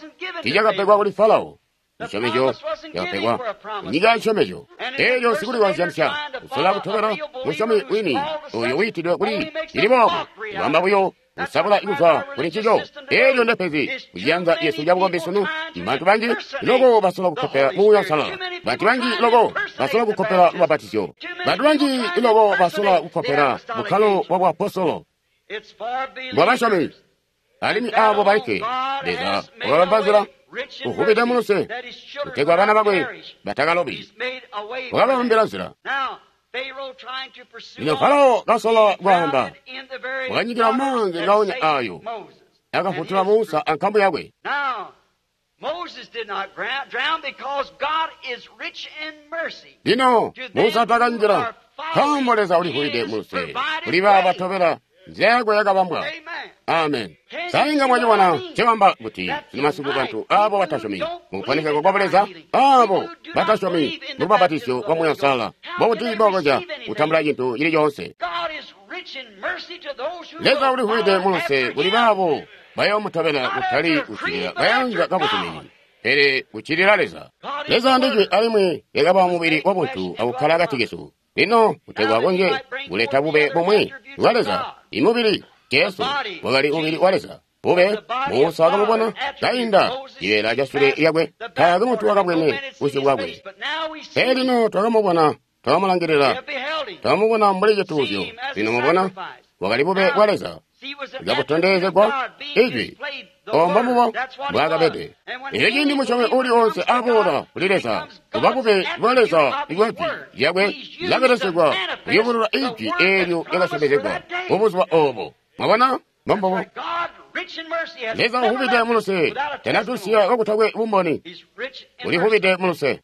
tiicakapegwa kuli Farao. Cisyomezyo cakapegwa nyika ya cisyomezyo. Eelyo sikulikozyanisya kusola kutobela musyomi wini ooyo wiitidwe kuli cili boobo, kubamba buyo kusabula kuzwa kuli ncico. Eelyo ndepezi kuciyanza yesu cabukombi sunu. Bantu banji loko basola kukkopela Muuya Uusalala. Bantu banji loko basola kukkopela lubapatizyo. Bantu banji loko basola kukkopela bukkalo bwa buapostolo bwabasyomi. Alimwi aabo balikke Leza wakabamba nzila uvubide muluse kutegwa bana bakwe batakalobi. Wakababambila nzila. Lino Farao kasola kwaamba, wakanyikila maanzi ngaonya ayo akafutula Musa ankambo yakwe. Lino Musa takanjila, nkaambo Leza ulivubide muluse kuli baabo batobela nzila yakwe yakabambwa. Amen. Sainga mwacibona ncewamba kuti sino masiku bantu aabo batasyomi mukuponesegwa kwa Buleza, aabo batasyomi mulubapatizyo lwa Muuya Uusalala, bokuti bakonzya kutambula cintu cili coonse. Leza ulivubide muluse kuli baabo bayoomutobela kutali kuccilila kayanza kabuzumini, pele kuccilila Leza. Leza ndijwi alimwi lyakaba mubili wabuntu akukkala akati kesu. Lino kutegwa akonzye kuleta bube bumwi bwa Leza, imubili Jesu wakali mubili wa Leza. Bube Musa wakamubona kainda cibeela ca sule lyakwe, taakwe muntu wakabwene busyu bwakwe. Pele lino twakamubona, twakamulangilila, twakamubona mbuli cituuzyo. Lino mubona wakali bube bwa Leza kabutondezegwa ijwi Obo mbomubo mbwaakabede. Elyo ciindi musyomi uli oonse aboola kuli Leza, kuba bube bwa Leza bwa Jwi lyakwe lilabelesegwa kuyubulula Ijwi eelyo lyakasyomezegwa mubuzuba obo. Mwabona? Mbombubo. Leza uvubide muluse, tanatusiya kakutakwe bumboni. Ulivubide muluse.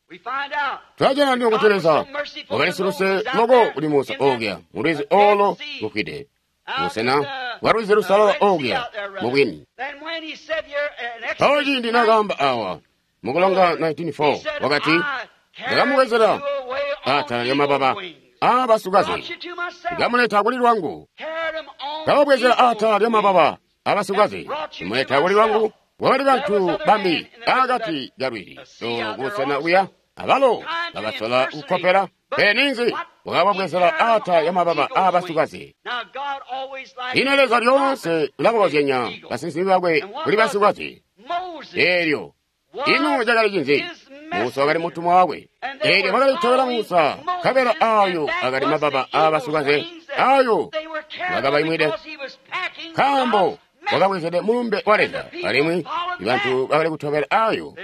Twajana ndiwo kuti Leza wakali siluse loko kuli Musa okuya mu lwizi olo lufwide, busena bwa lwizi lusalala okuya mubwini. Mpawo ciindi nakaamba awa mukulonga nineteen four wakati, ndakamubwezela atala lya mababa aabasukazi, ndikamuleta kuli lwangu. Ndakabwezela atala lya mababa aabasukazi, ndimuleta kuli lwangu. Kwakali bantu bambi akati ka lwizi olo kubusena kuya, abalo bakasola kukkopela. Pele ninzi? Wakababwezela atala lya mababa aabasukazi. Lino Leza lyoonse ulabakozyanya basinsimi bakwe kuli basikazi. Eelyo ino cakali cinzi? Musa wakali mutumwa wakwe. Eelyo bakali kutobela Musa, nkabela ayo akali mababa aabasikaze, ayo bakabaimwide, nkaambo wakabwezede mulumbe wa Leza. Alimwi bantu bakali kutobela ayo,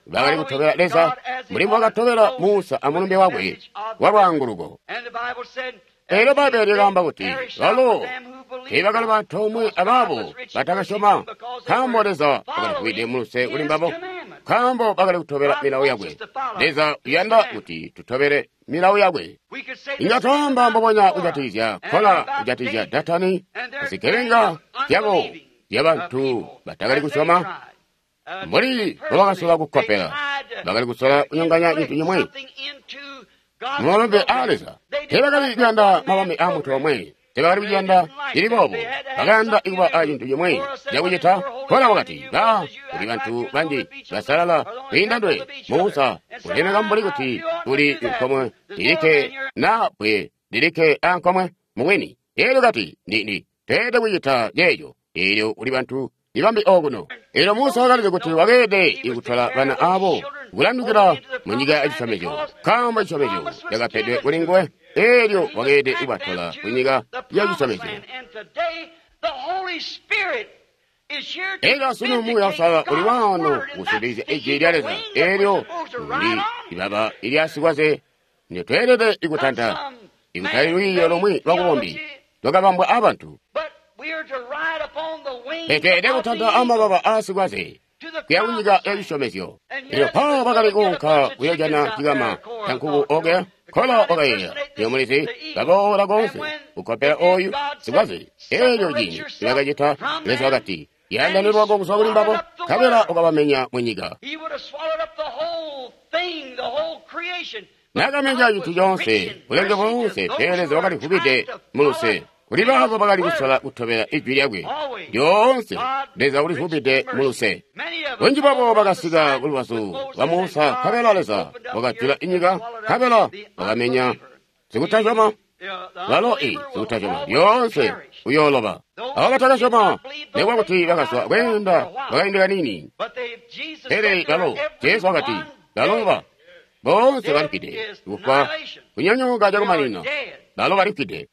bakali kutobela Leza mbuli mbwakatobela Musa amulumbe wakwe wa lwaanguluko. Eelyo Bbaibbele lyakaamba kuti balo teebakali bantoomwe abaabo batakasyoma, nkaambo Leza wakalivwide muluse kuli mbabo, nkaambo bakali kutobela milawo yakwe. Leza uyanda kuti tutobele milawo yakwe. Inga twaamba mbubonya kujatikizya Kola, kujatikizya Datani, zigebenga zyabo zyabantu batakali kusyoma, mbuli mbobakasola kukkopela, bakali kusola kunyonganya cintu cimwi mumabambe aa Leza. Teebakali kuyanda mabambe aa muntu omwe, teebakali kuyanda cili boobo, bakayanda kuba a cintu cimwi cakucita. Kola wakati, ba kuli bantu banji basalala kwiinda ndwe. Musa ulemeka mbuli kuti uli nkomwe lilikke na bbwe lilikke a nkomwe mubwini. Eelyo kati, ndi ndi teelede kucita ceeco. Eelyo kuli bantu ibambi okuno. Eelyo Musa wakalizi kuti wakeelede kutola bana abo kulandukila mu nyika ya cisyomezyo, nkaambo cisyomezyo cakapedwe kuli nguwe. Eelyo wakeelede kubatola ku nyika ya cisyomezyo. Eelyo asunu Muuya Uusalala uli waano kusindikizya Ijwi lya Leza. Eelyo ndi ibaba ilya sikwaze nditweelede kutanta, ikutali lwiiyo lomwe lwabukombi lwakabambwa abantu. Tweelede kutanta amababa aasikwaze kuya kunyika ya cisyomezyo. Eelyo mpawo bakali kuunka kuyoojana cikama ca nkuku okuya. Kola wakayeeya, lyo mulizi, baboola koonse kukkopela oyu sikwaze. Eelyo ciindi nibakacita, Leza wakati, yandane lwako kuzwa kuli mbabo, nkabela wakabamenya mu nyika. Nakamenya cintu coonse, bulenge boonse, pele Leza wakalivubide muluse kuli baabo bakali kusola kutobela ijwi lyakwe. Lyoonse Leza ulivubide muluse. Bunji bwabo bakasika kulubazu lwa Musa, nkabela Leza wakajula inyika, nkabela wakamenya sikutasyoma. Balo i sikutasyoma lyoonse uyooloba. Abo batakasyoma, nikuba kuti bakazwa kweenda kwakaindi kaniini, pele balo Jesu wakati baloba boonse balifwide, kufwa kunyonyooka cakumaninina. Balo balifwide.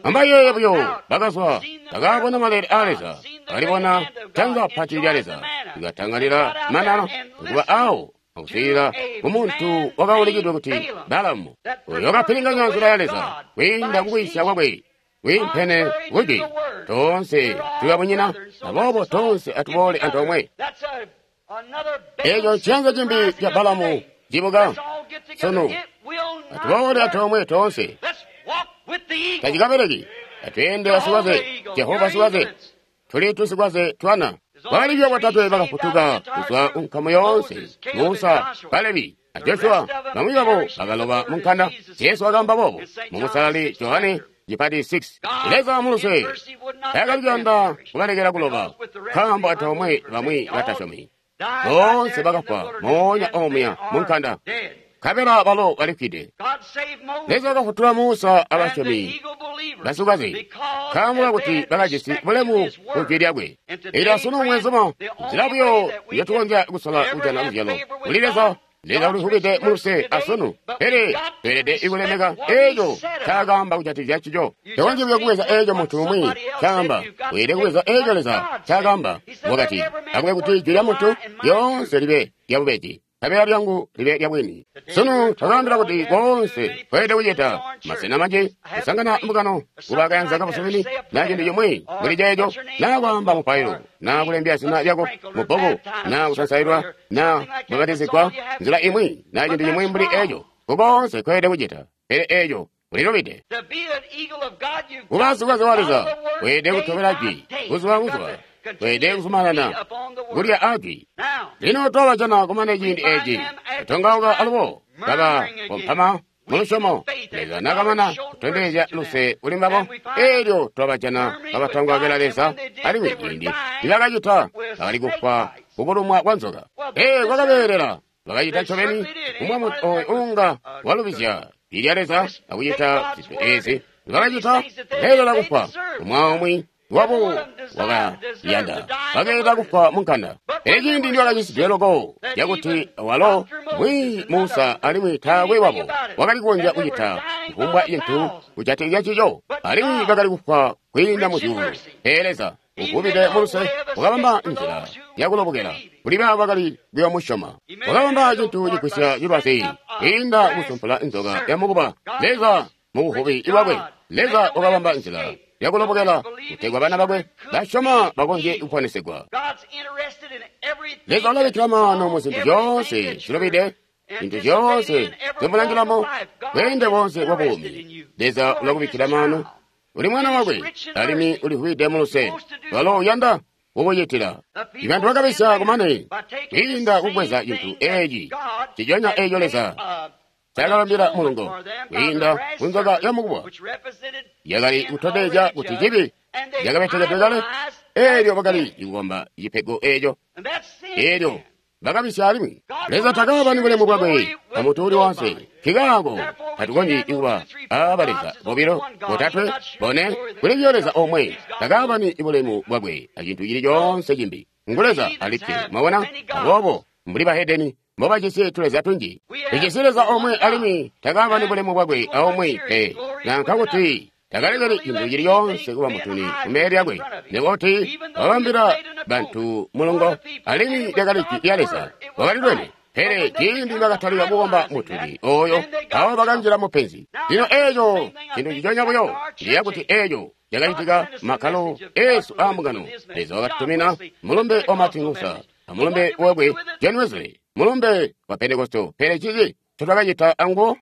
Ambayeeye buyo, bakazwa, bakabona maleele aa Leza, bakalibona janza pati lya Leza likatangalila manana, kuba awo akuswiilila kumuntu wakaulikidwe kuti Balamu, oyo wakapilinganya nzila ya Leza kwiinda kukwiisya kwakwe kwiimpene kujwi. Toonse tuli babunyina, aboobo toonse atuboole antoomwe. Eeco nciyanza cimbi ca Balamu cibuka sunu. Atuboole antoomwe toonse. Tacikabeleki. Atweende basikwaze, Jehova sikwaze. Tuli tusikwaze twana. Bakali buyo botatwe bakafutuka kuzwa kunkamu yoonse, Musa, Kalebi, a Joshua. Bamwi babo bakaloba mu nkanda. Jesu wakaamba boobo mu Musalali Johane cipati six. Leza muluse taakali kuyanda kubalekela kuloba, nkaambo antoomwe bamwi batasyomi boonse bakafwa moonya omuya mu nkanda, nkabela balo balifwide. Leza wakafutula Musa abasyomi basikaze, nkaambo kakuti bakajisi bulemu ku jwi lyakwe. Eelyo asunu mwezuma, nzila buyo njotukonzya kusola kujana luzyalo kuli Leza Leza ulivubide muluse asunu, pele tweelede ikulemeka eeco ncaakaamba kujatikizya ncico. Tokonzyi buyo kubweza eeco muntu umwi ncaamba, weelede kubweza eeco Leza ncaakaamba. Wakati, akube kuti jwi lya muntu lyoonse libe lyabubeji, nkabela lyangu libe lyabwini. Sunu twakaambila kuti koonse tweelede kucita masena manji kusangana mbungano kuba kayanza kabusumini na cintu cimwi mbuli ceeco, naa kwaamba mupailo, naa kulembya zina lyako mu bbuku, naa kusansailwa, naa kubbapatizigwa nzila imwi, naa cintu cimwi mbuli eeco. Kukoonse tweelede kucita, pele eeco ulilubide. Kuba sikwaze wa Leza weelede kutobela jwi buzuba buzuba, weelede kuzumanana kulya ajwi. Lino twabajana kumane ciindi eeci kutongauka alubo kaba kompama mulusyomo. Leza nakamana kutondezya luse kuli mbabo, eelyo twabajana kabatongaukila Leza, alimwi ciindi nibakacita bakali kufwa kukulumwa kwa nzoka. Ee, kwakabeelela bakacita ncobeni kumwa muntu ooyu uunga walubizya jwi lya Leza akucita zintu eezi bakacita beelela kufwa. Umwa umwi wabo wakayanda bakeeta kufwa munkanda. Pele ciindi nibakacisidwe loko cakuti walo mwi Musa alimwi taakwe wabo wakali kukonzya kucita kufumbwa cintu kujatikizya ncico, alimwi bakali kufwa kwiinda mu zyuulu. Pele Leza uvubide muluse wakabamba nzila yakulobokela kuli baabo bakali kuyoomusyoma. Wakabamba cintu cigwisya cilwazi kwiinda kusumpula nzoka yamukuba. Leza mubuvubi bwakwe, Leza wakabamba nzila yakulobokela kutegwa bana bakwe basyoma bakonzye kuponesegwa. Leza ulabikkila maano mu zintu zyoonse zilubide, zintu zyoonse zimulangilamo, bweende boonse bwa buumi. Leza ulakubikkila maano. Uli mwana wakwe, alimwi ulivwide muluse, walo uyanda kukucitila. Ibantu bakabisya kumane kwiinda kubweza cintu eeci nciconya eeco Leza ncaakabambila mulungo kwiinda kunzoka yamukuba yakali kutondezya kuti cibi cakabetekedwe kale. Eelyo bakali kukomba cipego eeco, eelyo bakabisya alimwi. Leza takaabani bulemu bwakwe amuntu uuli woonse. Nkikaako tatukonzyi kuba aba Leza bobilo, botatwe, bone. Kuli buyo Leza omwe. Takaabani bulemu bwakwe acintu cili coonse cimbi. Ngu Leza alikke. Mwabona? Aboobo mbuli bahedeni mbobajisi tuleza tunji, tujisi Leza omwe alimwi takaabani bulemu bwakwe aomwe pe, nanka kuti takalekeli cintu cili coonse kuba mutuni kumbele lyakwe. Nikuti wabambila bantu mulungo, alimwi lyakali jwi lya Leza, wakali lwene. Pele ciindi bakatalika kukomba mutuni ooyo, abo bakanjila mupenzi. Lino eeco cintu nciconya buyo ndiya kuti eeco cakacitika makkalo eesu aambungano. Leza wakatutumina mulumbe wa Martin Luther amulumbe wakwe John Wesley, mulumbe wa Pentekoste. Pele ciki ncotwakacita anguwo,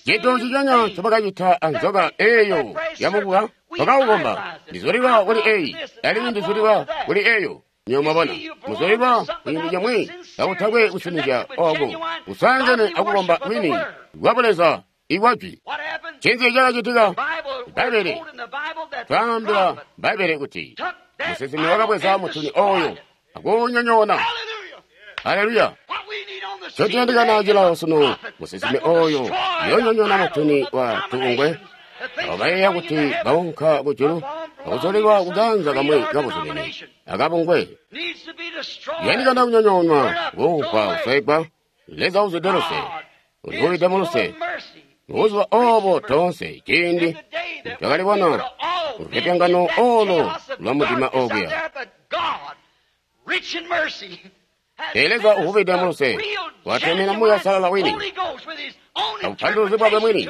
cintu nciconya ncobakacita anzoka eeyo yamukuba, twakaukomba. Ndizulilwa kuli eeyi, alimwi ndizulilwa kuli eeyo. Nywebo mwabona, muzulilwa kucintu cimwi kakutakwe kusinizya ooko kusangene akukomba kwini kwa Buleza ikwa jwi. Ncinzi cakacitika? Bbaibbele twaambila Bbaibbele kuti musinsimi wakabweza mutuni ooyo akuunyonyoona. Haleluya! Ncotuyandikana cilawo sunu, musinsimi ooyo uyoonyonyoona mutuni wa tubungwe. Abo bayeeya kuti baunka kujulu akuzulilwa kuganza kamwi kabuzumini akabungwe. Yandikana kunyonyoonwa, kuumpwa, kuswegwa. Leza uzwide luse, ulivubide muluse. Buzuba oobo toonse ciindi twakalibona lupyopyongano oolo lwa mudima okuya. Pele Leza uvubide muluse watumina Muuya Uusalala wini abupanduluzi bwakwe mwini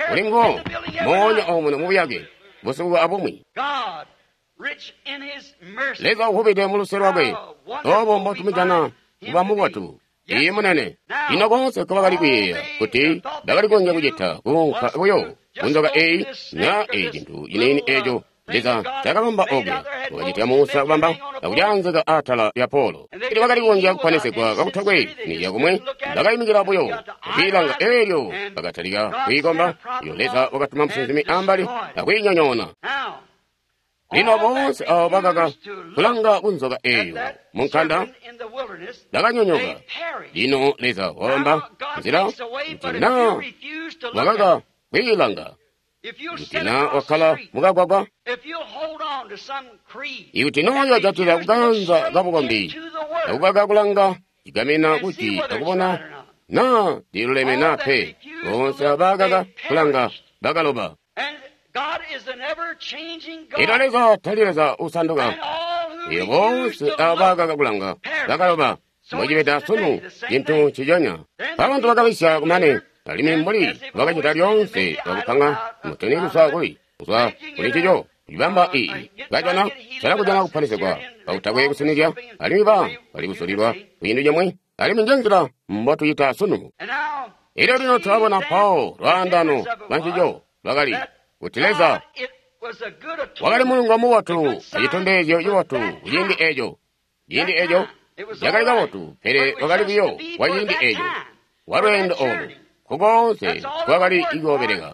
kuli nguwo moonya omuno mubuyake busiku abumwi. Leza uvubide muluse lwakwe, oobo mbotumujana kuba mubotu. Iye munene. Lino koonse nkobakali kuyeeya kuti bakali kukonzya kucita kuunka buyo kunzoka eeyi naa eyi cintu ciniini eeco Leza cakabamba okuya, wakacitya Musa kubamba akulyaanzika atala lya polo. Elyo bakali kukonzya kuponesegwa kakutakwe nizya kumwe, bakayimikila buyo kwiilanga eelyo bakatalika kuikomba. Iyo Leza wakatuma musinsimi ambali akwiinyonyoona. Lino boonse abo bakaka kulanga kunzoka eeyo munkanda bakanyonyoka. Lino Leza wabamba nzila kuti naa wakaka kwiilanga, kuti naa wakkala mukagwagwa, ikuti noyo jatila kuganza kabukombi akukaka kulanga cigamina kuti akubona naa ndiluleme naa pe. Boonse abakaka kulanga bakaloba. Ino Leza tali Leza usanduka. Iyo boonse abakaka kulanga bakaloba. Mbocibeda sunu cintu nciconya. Bantu bakabisya kumane, alimwi mbuli bakacita lyoonse bakupanga mutuni kuzwa kuli kuzwa kuli ncico. Ibamba iyi kajana cala kujana kuponesegwa kakutakwe kusinizya, alimwi ba bali kusulilwa kucintu cimwi, alimwi njenzila mbotuyita sunu. Elyo lino tulabona mpawo lwaandano lwa ncico lwakali kuti Leza wakali mulungo mubotu acitondezyo cibotu kuciindi eco. Ciindi eco cakali kabotu, pele wakali buyo wa ciindi eco wa lweendo olu kukoonse kwakali kuyoobeleka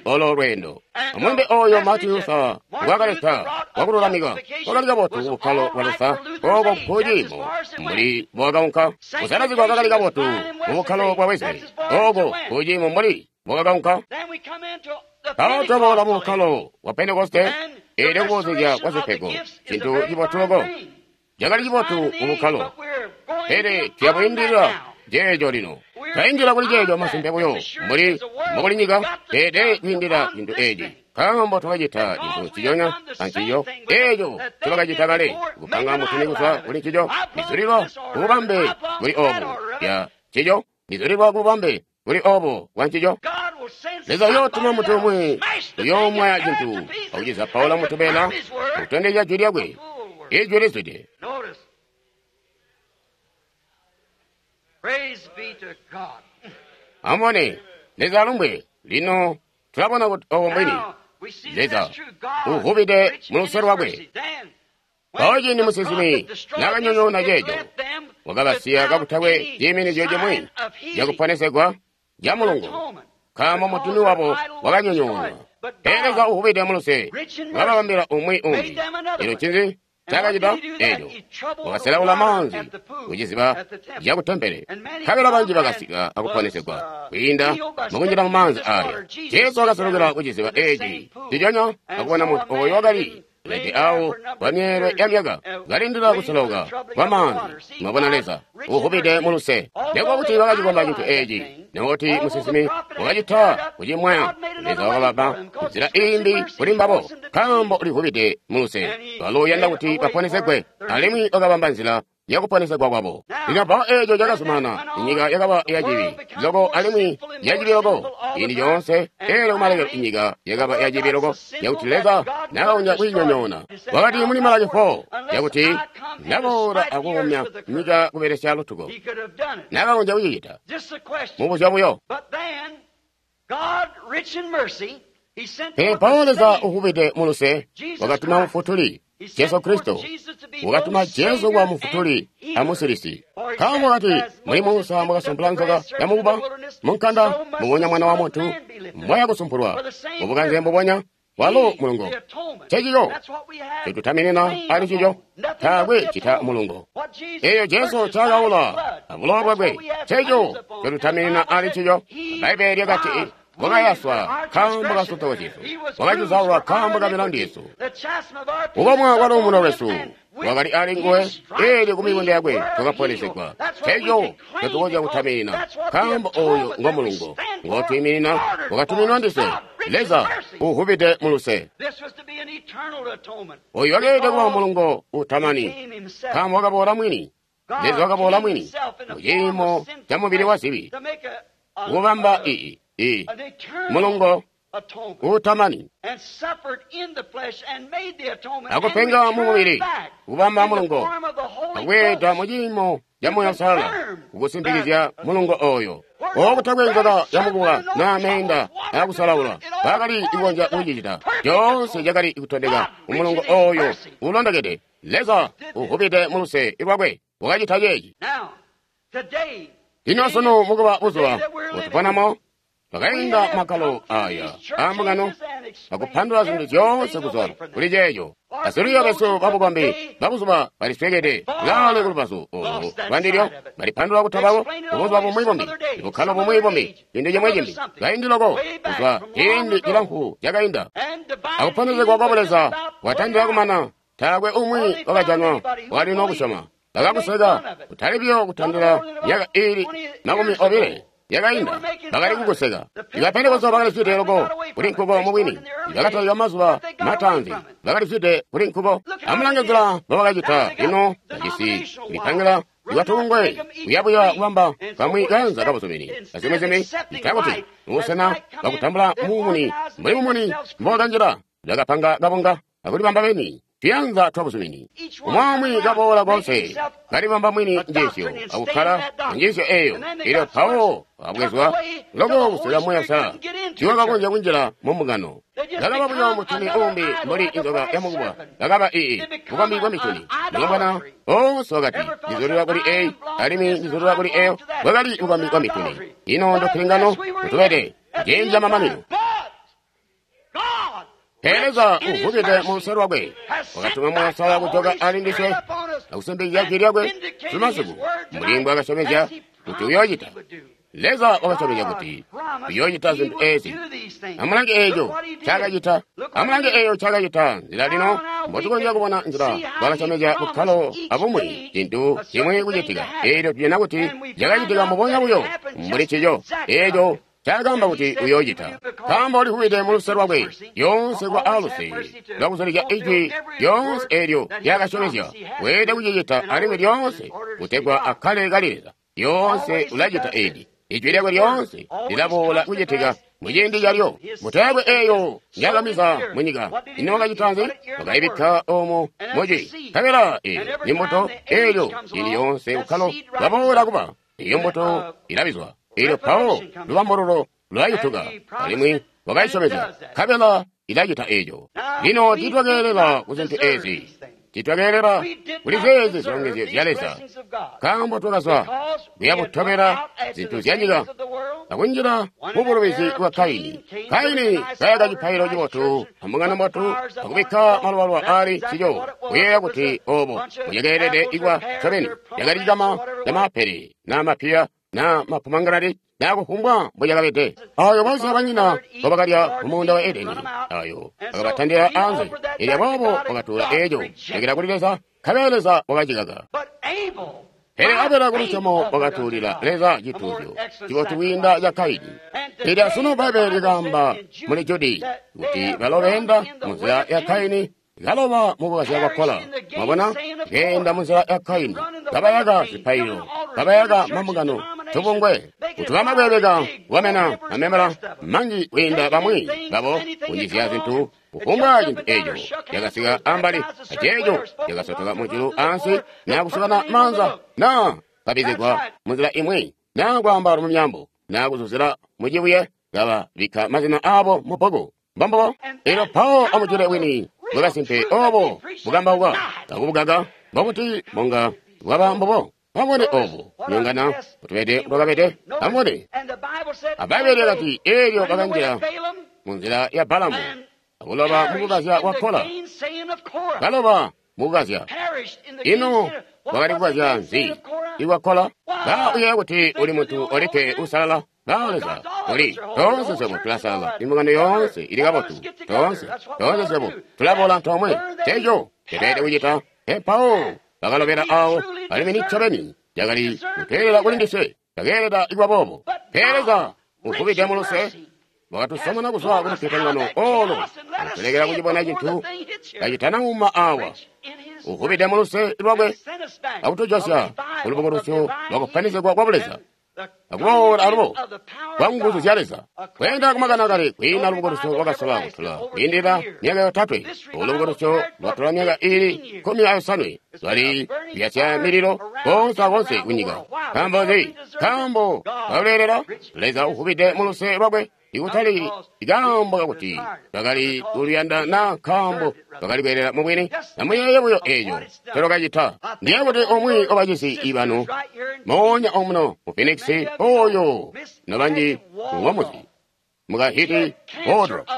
olo lweendo. Amulumbe oyo Martin Luther ngwaakaleta wakululamika wakali kabotu kubukkalo bwa Luther ooko nkuciimo mbuli mbowakaunka. Kusalazigwa kwakali kabotu kubukkalo bwa Wesley ooko nkuciimo mbuli mbowakaunka. Mpawo twaboola mubukkalo bwa Pentekoste, eelyo kuboozezya kwa zipego cintu cibotu loko. Cakali cibotu kubukkalo, pele tuyabwiindilila ceeco lino. Twaindila kuli ceeco masimpe buyo mbuli mbokuli nyika, pele kwiindila cintu eeci, nkaambo twakacita cintu nciconya ancico eeco ncobakacita kale, kupanga mutuni kuzwa kuli ncico. Ndizulilwa kububambe buli obu ya ncico, ndizulilwa kububambe buli obu bwa ncico. Leza uyootuma muntu umwi uyoomwaya cintu akucizapaula mutubela akutondezya jwi lyakwe, ijwi lizwide. Amubone, Leza alumbwe. Lino tulabona kuti obo mbwini. Leza uvubide muluse lwakwe. Mpawo ciindi musinsimi naakanyonyoona ceeco, wakabasiya kakutakwe ciiminizyo cimwi cakuponesegwa ca mulungu, nkaambo mutuni wabo wakanyonyoonwa. Pele Leza uvubide muluse wakababambila umwi umbi. Ino ncinzi ncaakacita eeco? Wakaselaula maanzi kuciziba cakutempele, nkabela banji bakasika akuponesegwa kwiinda mukunjila mumaanzi aaya. Jesu wakaselukila kuciziba eeci nciconya akubona muntu ooyo wakali lede awo kwa myeelwe ya myaka kalindila kuselauka kwa maanzi. Mwabona Leza uvubide muluse. Nekuba kuti bakacikomba cintu eeci, nekuti musinsimi wakacita kucimwaya, Leza wakabapa nzila iimbi kuli mbabo, nkaambo ulivubide muluse. Walo uyanda kuti baponesegwe, alimwi wakabamba nzila yakuponesegwa kwabo. Lino mpawo eeco cakazumana, inyika yakaba yacibi loko alimwi yacibi loko ciindi coonse. Eelyo kumalekelo inyika yakaba yacibi loko yakuti Leza nakakonzya kuyinyonyoona. Wakati muli Malaki four yakuti ndaboola akuumya nyika kubelesya lutuko. Nakakonzya kucicita. Mubuzya buyo. Pele mpawo Leza uvubide muluse wakatuma Mufutuli Jesu Kristo, wakatuma Jesu kuba Mufutuli amusilisi. Nkaambo wakati mbuli Musa mbwakasumpula nzoka yamukuba munkanda, mbubonya Mwana wa Muntu mbwaya kusumpulwa. Mubukanze mbubonya walo mulungo. Ncencico ncotutaminina ali ncico, taakwe cita mulungo. Eeyo Jesu ncaakaula abulowa bwakwe, nceco ncotutaminina ali ncico. Bbaibbele lyakati wakayaswa nkaambo ka nsotoko zyesu, wakacizaulwa nkaambo ka milandu yesu. Kukomwa kwa luumuno lwesu wakali ali nguwe, eelyo kumikondo yakwe twakaponesegwa. Nceco ncotukonzya kutaminina, nkaambo ooyo ngo mulungo ngotwiiminina wakatuminwa ndiswe. Leza uvubide muluse. Oyu wakeelede kuba mulungo utamani, nkaambo wakaboola mwini. Leza wakaboola mwini muciimo ca mubili wa zibi, kubamba ii ii mulungo utamani, akupenga mu mubili, kubamba mulungo, akweeda muciimo ca Muuya Uusalala, kukusimpikizya mulungo oyo. Okutakwe nzoka yamukuba naa meenda aakusalaula bakali kukonzya kucicita. Coonse cakali kutondeka kumulungo oyo uulondokede. Leza uvubide muluse lwakwe wakacita ceeci. Lino sunu mukuba buzuba butuponamo, twakainda makkalo aya aambungano akupandula zintu zyoonse kuzwa kuli ceeco. Basilwiiyo besu babukombi babuzuba baliswekede laale kulubazu olu lwandilyo, balipandula kutabako bubuzuba bumwi bumbi, bukkalo bumwi bumbi, cintu cimwi cimbi, kaindi loko kuzwa ciindi cilamfu cakainda. Akuponesegwa kwa Buleza kwatandila kumana, taakwe umwi wakajanwa wakali nokusyoma. Bakakuseka, kutali buyo kutandila myaka iili makumi obile yakainda, bakali kukuseka. Iba Pentekoste bakali zwide loko kuli nkuko mubwini. Bakatalika mazuba mataanzi, bakali zwide kuli nkuko. Amulange nzila mbobakacita lino, bajisi kulipangila ibatungwe kuyabuya kubamba kamwi kaanza kabuzumini azimwi-zimwi itakuti mubusena bwakutambula mumuni mbuli mumuni mbokanjila bakapanga kabunga akulibamba beni tuyanza twabuzumini. Umwaamwi kaboola konse kalibamba mwini njiisyo akukkala njiisyo eyo, elyo mpawo abwezwa loko kusika Muuya Uusalala tiwakakonzya kunjila mu mbungano. Bakaba buyo mutuni uumbi mbuli inzoka yamukubwa, bakaba ii bukombi bwa mituni. Mulombwana oonse wakati ndizulilwa kuli eyi alimwi ndizulilwa kuli eyo, bwakali bukombi bwa mituni. Ino ndopilingano kutubede ciindi camamanino. Pele Leza uvubide mu luse lwakwe wakatuma Muuya Uusalala kujoka ali ndiswe akusimbikizya jwi lyakwe sumasiku mbuli mbwaakasyomezya kuti uyoocita. Leza wakasyomezya kuti uyoocita zintu ezi. Amulange eeco ncaakacita. Amulange eeyo ncaakacita. Nzila lino mbotukonzya kubona nzila mbwaakasyomezya bukkalo abumwi cintu cimwi kucitika, eelyo tujana kuti cakacitika mbubonya buyo mbuli ncico eeco ncaakaamba kuti uyoocita. Nkaambo ulivubide mu luse lwakwe lyoonse kuba aluse lwakuzulizya ijwi lyoonse eelyo lyakasyomezya. Weelede kucicita alimwi lyoonse kutegwa akkale kali Leza. Lyoonse ulacita eeci. Ijwi lyakwe lyoonse lilaboola kucitika muciindi calyo. Mbuto yakwe eeyo njaakamiza munyika, ino wakacita nzi? Wakaibikka oomo mujwi. Nkabela eeyo ni mbuto eelyo ciindi lyoonse bukkalo bwaboola kuba, eeyo mbuto ilabizwa. Eelyo mpawo lubambululo lulayutuka, alimwi wakayisyomezya, nkabela ilacita eeco. Lino tiitwakeelela ku zintu eezi, tiitwakeelela kuli zeezi zilongezyo zya Leza, nkaambo twakazwa kuyabutobela zintu zyanyika akunjila mubulubizi bwa Kaini. Kaini kayaka cipaililo cibotu ambungano mbotu akubikka malubaluba aali ncico, kuyeeya kuti oobo mbucakeelede ikwa ncobeni. Cakali cikama camaapele naa mapiya naa mapomanganati naa kufumbwa mbucakabede. Ayo boonse abanyina mbobakalya mumuunda wa Edeni, ayo akabatandila anze. Elyo aboobo wakatuula eeco lekela kuli Leza, nkabela Leza wakacikaka. Pele Abela kulusyomo wakatuulila Leza cituuzyo cibotu kwiinda ca Kaini. Elyo asunu Bbaibbele likaamba muli Judi kuti balo beenda munzila ya Kaini kaloba mukukazya kwa Kola. Mwabona, keenda munzila ya Kaini, kabayaka zipaililo, kabayaka mambungano, tubungwe, kuti bamabwebeka kukamena mamembala manji kwiinda bamwi babo kunjizya zintu kufumbwa cintu eeco cakasika ambali aceeco cakasotoka mujulu ansi naa kusukana maanza naa kabizigwa munzila imwi naa kwaamba mu myaambo naa kuzuzila mucibuye kababikka mazina aabo mubbuku. Mbombubo. Elyo mpawo amujule wini bwakasimpe oobo bukambauka akubukaka mbobuti bunga bwaba mbubo. Amubone oobu nyongana butubede mbwakabede. Amubone Abbaibele lyakati eelyo bakanjila munzila ya Balamu akuloba mukukazya kwa Kola. Kaloba mukukazya. Ino wakali kukazya nzi ikwa Kola? Ba uyeeya kuti uli muntu olikke uusalala? Ba Leza uli toonse swebo tulasalala, imbungano yoonse ili kabotu, toonse toonse swebo tulaboola antoomwe. Nceeco ncotweelede kucita. Mpawo bakalobela aawo, alimwi ncobeni cakali kuteelela kuli ndiswe, cakeeleda kuba boobo. Pele Leza uvubide muluse wakatusomona kuzwa ku lupyopyongano oolo akutulekela kucibona cintu kacitanauma aawa. Uvubide muluse lwakwe akutujosya kulubukulusyo lwakufanizigwa kwa Buleza akuboola alubo kwa nguzu zya Leza. Kweenda kumakani akale kwiina lubukulusyo lwakasola kutula kwiindila myaka yotatwe. Olu lubukulusyo lwatola myaka iili kkumi ayosanwe lwali kuyasya mililo konse akonse kunyika. Nkaambo nzi? Nkaambo kaluleelela Leza uvubide muluse lwakwe, ikutali ikaambo kakuti bakali kuluyanda naa nkaambo bakali kweelela mubwini. Amuyeeye buyo eeco ncolwakacita. Ndiyeeya kuti umwi wabacisi ibanu moonya omuno mu Phoenix oyo nobanji ngomuzi mukahiti Waldrop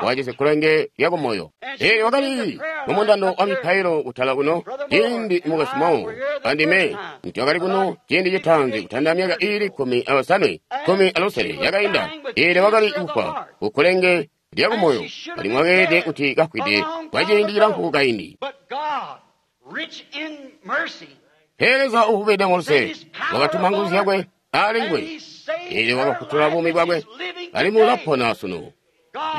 wakajisi kkulenge lyakumoyo. Eelyo wakali mumundando wa mipailo kutala kuno ciindi mukwesu Moe andime nitwakali kuno ciindi citaanzi kutanda myaka iili kkumi ayosanwe kkumi alusele yakainda. Eelyo wakali kufwa kukkulenge lyakumoyo alimwi wakeelede kuti kafwide kwa ciindi cilamfu kaindi. Pele Leza uvubide muluse wakatuma nguzu zyakwe ali nguwe, eelyo wakafutula buumi bwakwe, alimwi ulapona sunu.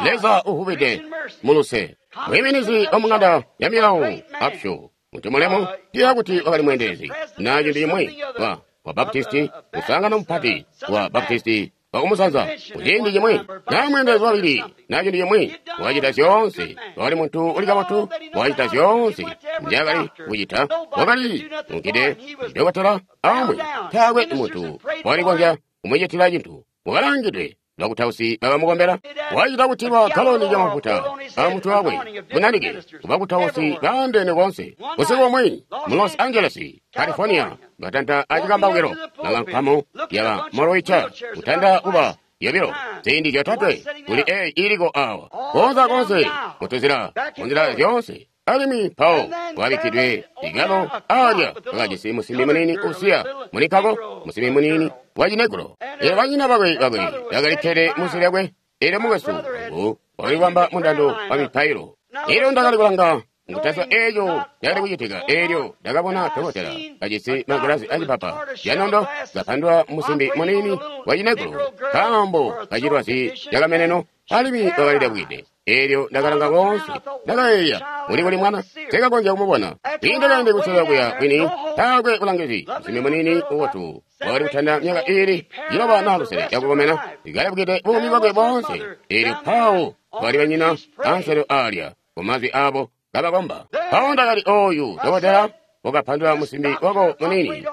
Leza uvubide muluse. Mwiiminizi wa mung'anda ya milawo Upshaw, muntu mulemu, ndiyeeya kuti wakali mweendelezi na cintu cimwi wa wa Baptisti, muswaangano mupati wa Baptisti wakumusanza kuciindi cimwi, na mweendelezi wabili na cintu cimwi, wakacita zyoonse. Wakali muntu uli kabotu, wakacita zyoonse nzyaakali kucita. Wakali unkide dokotela amwi, taakwe muntu wakali kukonzya kumucitila cintu. Wakalangidwe bakutausi bakamukombela, wacita kutilwa galoni lyamafuta amutwe wakwe munanike kubakutausi baandeene koonse. Busiku bumwi mu Los Angeles, California, batanta acikambaukilo nakankamo yaba Moroi Church kutanda kuba yobilo ziindi zyotatwe kuli eyi iliko awa koonse akoonse mutuzila munzila zyoonse. Alimwi mpawo wabikkidwe igalo alya wakajisi musimbi muniini usiya mulikako, musimbi muniini wa cinegro. Eelyo banyina bakwe bakwe bakali kkede munsi lyakwe, eelyo mukwesu wangu wakali kubamba mundando wa mipailo. Eelyo ndakali kulanga mukutaziba eeco cakali kucitika, eelyo ndakabona dokotela kajisi magilazi acipapa canondo kapandula musimbi muniini wa cinegro nkaambo kacilwazi cakameneno, alimwi wakali dabwide. Eelyo ndakalanga koonse, ndakayeeya, uli kuli mwana, sikakonzya kumubona. Kwiinda kaindi kusela kuya kwini, taakwe bulangizi. Musimbi muniini ubotu wakali kutanda myaka iili ciloba naa lusele yakukomena, ikalabukide buumi bwakwe boonse. Eelyo mpawo bakali banyina anselo aalya kumazwi aabo kabakomba. Mpawo ndakati, ooyu dokotela wakapandula musimbi wako muniini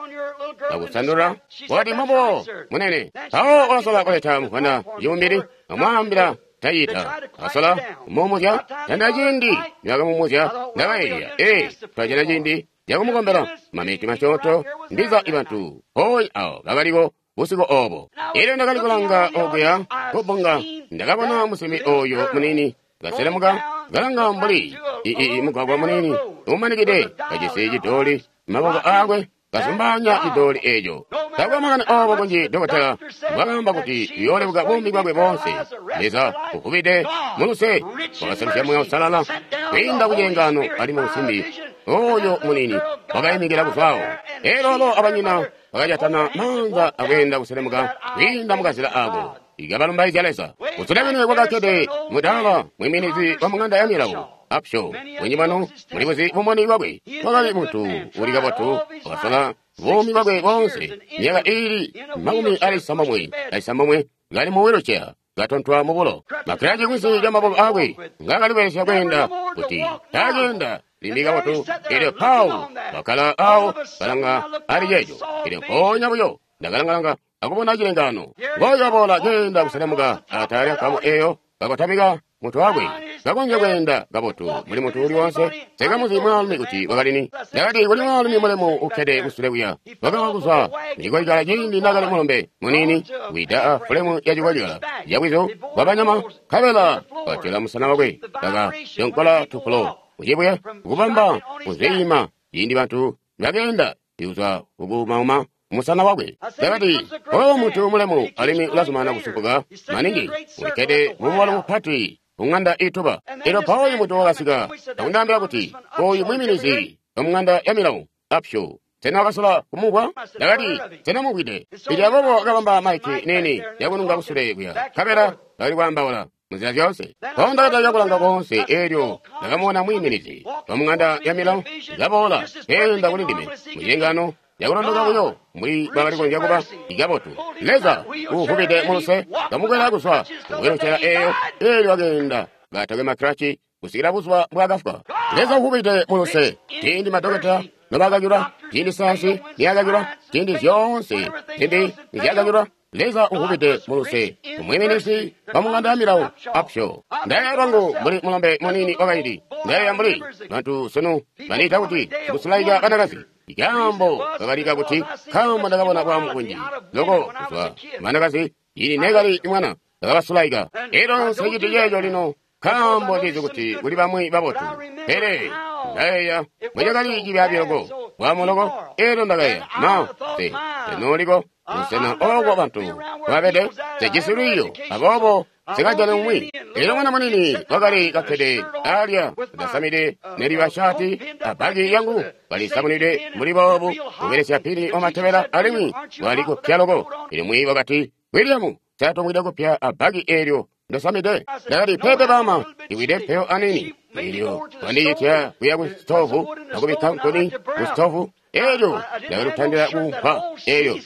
akusandula, wakati, mbobo munene. Mpawo wakasola kuleta muvwanda cibumbili, amwaambila tayita asola kumumuzya tanda ciindi nibakamumuzya. Ndakayeeya, ee, twajana ciindi cakumukombela maminiti masyoonto, ndiza ibantu hooyi awo bakaliko busiku oobo. Eelyo ndakali kulanga okuya kubbunga, ndakabona musimbi oyo muniini kaselemuka kalanga mbuli ii mugwagwa muniini umanikide, kajisi cidooli mumaboko aakwe, kazumbaanya cidooli eeco. Taakwe makani oobo kunji dokotela mbwakaamba kuti uyoolebuka buumi bwakwe boonse. Leza uvubide muluse wakaselusya Muuya Uusalala kwiinda kucilengaano, alimwi musimbi oyo muniini wakaimikila kuzwaawo. Eelyo alo abanyina bakajatana maanza akweenda kuselemuka kwiinda mukazila aako, ikabalumbaizya Leza. Kusule kwini kwakakkede mudaala mwiiminizi wa mung'anda ya milawo Upshaw. Bunji bwanu mulibuzi bumboni bwakwe. Wakali muntu uli kabotu, wakasola buumi bwakwe boonse myaka iili makumi ali cisambomwe acisambomwe kali mu wheelchair, katontwa mubulo, makilaci kunsi lya maboko akwe ngaakali kubelesya kweenda kuti taakeenda limbi kabotu. Eelyo Paul wakkala awo kalanga ali ceeco. Eelyo mpoonya buyo ndakalangalanga akubona cilengaano, ngooyo waboola keenda kuselemuka atala lya nkamu eeyo, kakotamika mutwe wakwe, kakonzya kweenda kabotu mbuli muntu uli woonse. Sikamuzi mwaalumi kuti wakalini. Ndakati, kuli mwaalumi mulemu ukkede kusule kuya, wakawa kuzwa mucikolikala ciindi naakali mulombe muniini, wida a fulemu ya cikolikala cabwizu bwabanyama, nkabela watyola musana wakwe, kakadyonkola tupulo mucibuye kukubamba kuzwiima ciindi bantu nibakeenda kuzwa kukumauma musana wakwe. Ndakati, oyo muntu mulemu alimwi ulazumana kusumpuka maningi, ulikkede mububalo bupati kung'anda ituba. Eelyo mpawo muntu wakasika akundaambila kuti, oyu mwiiminizi wamung'anda ya milawo Upshaw, sena wakasola kumumvwa? Ndakati, sena mumvwide. Eelyo aboobo wakabamba maiki niini yakununga kusule kuya, nkabela bakali kwaambaula munzila zyoonse. Mpawo ndakatalika kulanga koonse, eelyo ndakamubona mwiiminizi wamung'anda ya milawo kaboola keenda kuli ndime mucilengaano yakulondoka buyo mbuli bakali kukonzya kuba ikabotu. Leza uuvubide muluse kamukwela kuzwa muwheelchair eeyo, eelyo wakeenda katakwe makilaci kusikila buzuba mbwaakafwa. Leza uuvubide muluse, ciindi madokotela nobakakilwa, ciindi sayansi niyakakilwa, ciindi zyoonse zimbi nizyakakilwa, Leza uvubide muluse umwiiminizi wa mung'anda ya milawo Upshaw. Ndayeeya lwangu mbuli mulombe muniini wakaindi, ndayeeya mbuli bantu sunu bandiita kuti sikusulaika banakazi. Ikaambo kakalika kuti nkaambo ndakabona bwaamu bunji loko kuzwa banakazi ciindi neekali mwana, ndakabasulaika. Eelyo nseciti ceeco lino nkaambo ndizi kuti kuli bamwi babotu, pele ndayeeya mbwecakali cibyaabi loko bwaamu loko. Eelyo ndakayeeya, ma nse senooliko busena ooko bantu babede, sejisi lwiiyo, aboobo Nsikajane umwi. Elyo mwana munini wakali kakkede alya kasamide neliba shaati abbaki yangu kalisamunide mbuli boobu kubelesya pini wamatebela alimwi wali kupya loko. Elyo mwiiyi wakati, William, sa tomwida kupya abbaki eelyo ndosamide? Ndakati, peepe baama, iwide mpeyo anini. Elyo wandiitya kuya ku sitovu akubikka nkuni ku sitovu. Elyo ndakali kutandila kuumpwa. Elyo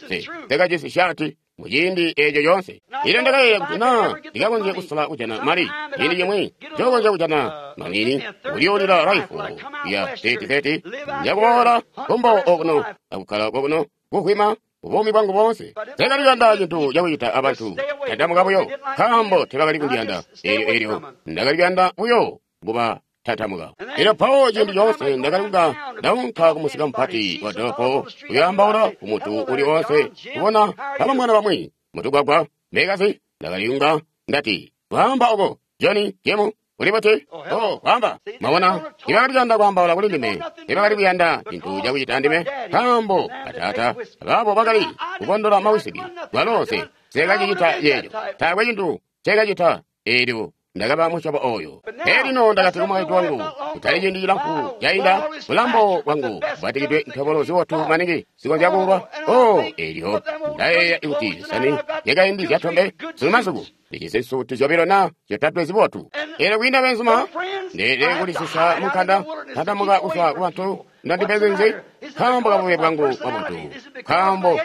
nsekajisi shaati muciindi eeco coonse. Elyo ndakayeeya kuti naa ndikakonzya kusola kujana mali ciindi cimwi, njokonzya kujana manini kulyuulila raifu ya thirty thirty njakuboola kumbo okuno akukkala kokuno kuhwima buumi bwangu boonse. Nsekali kuyanda cintu cakucita abantu, tandamuka buyo, nkaambo tebakali kundiyanda. Elyo elyo ndakali kuyanda buyo kuba tatamuka. Elyo mpawo ciindi coonse ndakali kunga ndaunka kumusika mupati wa dolopo kuyaambaula ku muntu uli oonse kubona bamwana bamwi mutugwagwa mbekazi. Ndakali kunga ndati, kwaamba oko Johnny Jemu uli buti? Oh, kwaamba. Mwabona, tibakali kuyanda kwaambaula kuli ndime, tibakali kuyanda cintu cakucita ndime, nkaambo bataata abaabo bakali kukondola mawisiki. Kwalo nse nsekacicita yeeco, taakwe cintu nsekacita. Elyo ndakaba musyobo oyo. Elino ndakati kumukaintu wangu, kutali ciindi cilamfu cainda, bulambo bwangu bwatikidwe ntobolo zibotu maningi zikonzya kuulwa. Oh, elyo ndayeeya kuti zisani zyakaindi zyatombe sunu masiku ndijisi nsuti zyobilo na zyotatwe zibotu. Elyo kwiinda beenzuma, ndeelede kulisisa munkanda, ntandamuka kuzwa ku bantu ndandipezi nzi, nkaambo kabube bwangu bwa buntu, nkaambo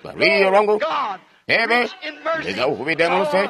bwa lwiiyo lwangu. Peepe, Leza uvubide muluse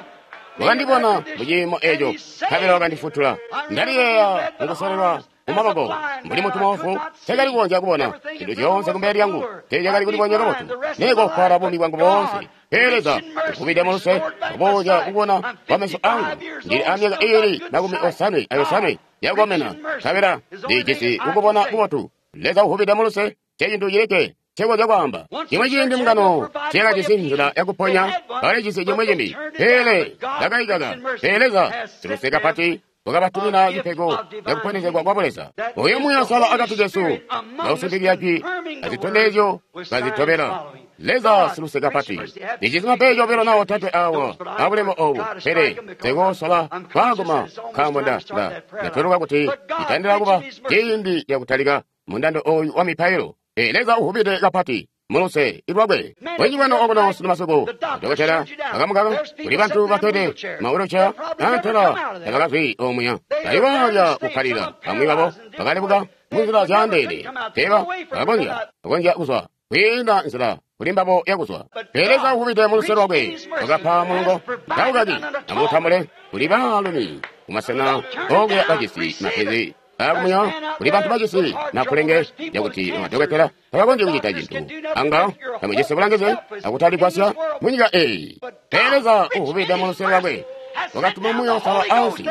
wakandibona muciimo eco, nkabela wakandifutula. Ndaliyeeya mukusololwa mumaboko mbuli muntu moofu, nsekali kukonzya kubona zintu zyoonse kumbele lyangu, teezyakali kulibonya kabotu, nekoofwala buumi bwangu boonse. Pele Leza uvubide muluse kuboozya kubona kwa meso angu. Ndili amyaka iili makumi osanwe ayosanwe yakukomena, nkabela ndijisi kukubona kubotu. Leza uvubide muluse ncecintu cilikke ncekonzya kwaamba. Cimwi ciindi mbungano teeyakajisi nzila yakuponya, bakalijisi cimwi cimbi, pele ndakaikaka. Pele Leza siluse kapati wakabatumina cipego cakuponezegwa kwa Buleza. Oyo Muuya Uusalala akati kesu kausimpikizya jwi azitondezyo kazitobela. Leza siluse kapati. Ndijisi mapeeji obilo na otatwe awa abulemo obu, pele nsekoosola kwaaguma nkaambo nda nda ndatweluka kuti citandila kuba ciindi cakutalika mundando oyu wa mipailo. Pele Leza uvubide kapati muluse lwakwe. Bwenji bwanu okuno sunu masiku, dokotela akamukaka, kuli bantu bakkede mawheelchair antela tabakazwi omuya, bali balya kukkalila. Bamwi babo bakalebuka munzila zyaandeene, teeba bakakonzya bakonzya kuzwa kwiinda nzila kuli mbabo yakuzwa. Pele Leza uvubide muluse lwakwe wakapa mulungo taukaki amutambule kuli baalumi kumasena okuya bajisi mapenzi akumuya, kuli bantu bajisi nakulenge yakuti bamadokotela tabakonzyi kucita cintu anga tamujisi bulangizi akutaligwasya munyika eyi. Pele Leza uvubide muluse lwakwe wakatuma Muuya Uusalala ansi,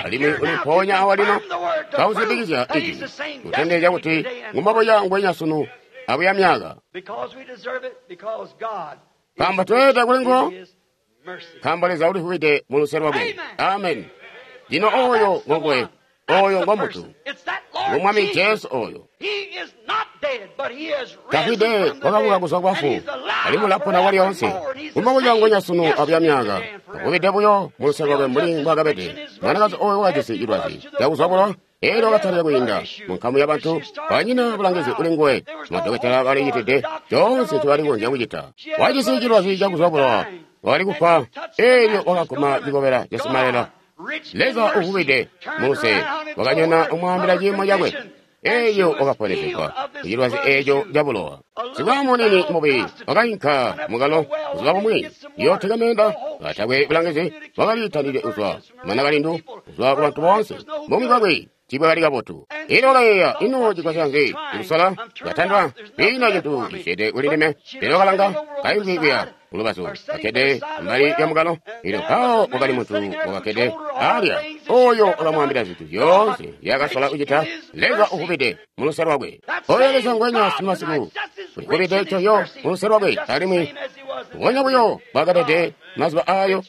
alimwi uli mpoonya awa lino kausimpikizya ijwi kutondezya kuti ngumbobuya ngwenya sunu abuya myaka. Nkaambo tweelede kuli nguwo, nkaambo Leza ulivubide muluse lwakwe. Amen. Lino oyo ngonguwe, oyo ngo muntu, ngo Mwami Jesu oyo. Tafwide, wakabuka kuzwa kubafu, alimwi ulapona kwalyoonse. Ngumbobuya ngwenya sunu abuya myaka, uvubide buyo muluse lwakwe mbuli mbwaakabede. Mwanakazi oyo wakajisi cilwazi cakuzwa bulowa, elyo wakatalika kwiinda munkamu yabantu, banyina bulangizi kuli nguwe. Madokotela balicitide coonse ncobali kukonzya kucita. Wajisi cilwazi cakuzwa bulowa, wakali kufwa, elyo wakaguma cikobela ca simalela. Leza uvubide muluse wakanyona umwaambila ciimo cakwe, elyo wakaponesegwa kucilwazi eeco cabulowa. Sikwamunini mubi wakainka mukalo buzuba bumwi yooteka meenda, katakwe bulangizi, wakalitanide kuzwa mwanakalindu kuzwa kubantu boonse. Buumi bwakwe tiibwakali kabotu. Elyo wakayeeya, ino cigwasya nzi kusola? Ndatandwa, kwiina cintu cisyeede kuli ndime. Pele wakalanga kaimvwi kuya kulubazu, kakkede mbali lya mukalo. Elyo mpawo kwakali muntu wakakkede alya, oyo wakamwaambila zintu zyoonse nzyaakasola kucita. Leza uvubide muluse lwakwe. Oyo Leza ngwenya sunu masiku ulivubide coyo muluse lwakwe, alimwi mbubonya buyo mbwaakabede mazuba aayo.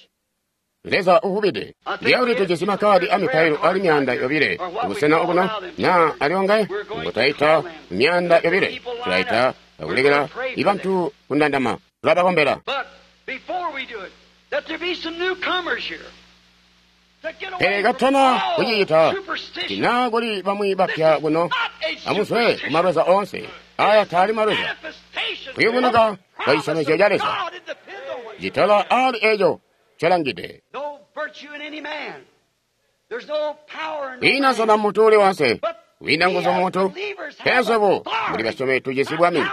Leza uvubide. Ndiyakuti tujisi makkaadi amipailo ali myaanda yobile kubusena okuno, na aliongaye ngo twaita myaanda yobile, tulaita akulekela ibantu kundandama, tulabakombela. But before we do it, that there be some newcomers here. Pele katana kucicita, tina kuli bamwi bapya kuno, amuzwe kumalweza oonse. Aya taali malweza. Kuyubunuka kwa cisyomezyo ca Leza. Citola ali eco colangide. Kwiina nsona muntu uli wonse, kwiina nguzu muntu, pele swebo muli basyomi tujisi bwami.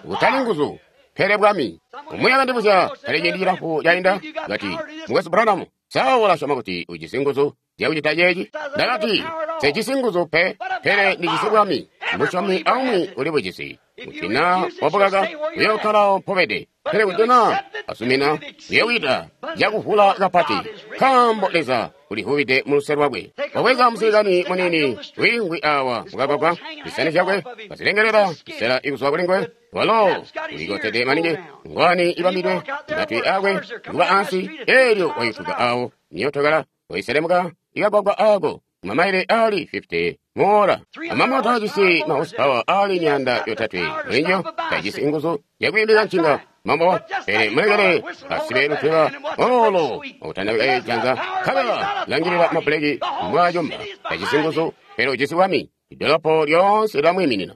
Kutali nguzu, pele bwami. Umwi akandibuzya kale ciindi cilamfu cainda, kati, Mukwesu Branham, sa ulasyoma kuti ujisi nguzu zyakucita ceeci? Ndakati, sejisi nguzu pe, pele ndijisi bwami. Musyomi aumwi uli bujisi. Kuti naa wabukaka, uyookkalawo mpobede. Pele kuti naa asumina, uyoowita cakuvula kapati, nkaambo Leza ulivubide muluse lwakwe. Wabweza musilikani muniini wiingwi awa mukagwagwa, zisani zyakwe kazilengelela zisela ikuzwa kulinguwe. Walo ulikotede maningi, ngwani ibambidwe, matwi akwe kuba ansi, elyo wayutuka awo niyotokala waiselemuka ikagwagwa ako mamaile ali fifty moora. Amamota ajisi ma horsepower ali miyanda yotatwe mulinjo tajisi nguzu yakwiimbika ncinga mambo, pele mulekele asibe lutweba olo okutandabika janza nkabela langilila mabuleki mbwajomba. Tajisi nguzu, pele ujisi bwami. Idolopo lyonse lilamwiiminina.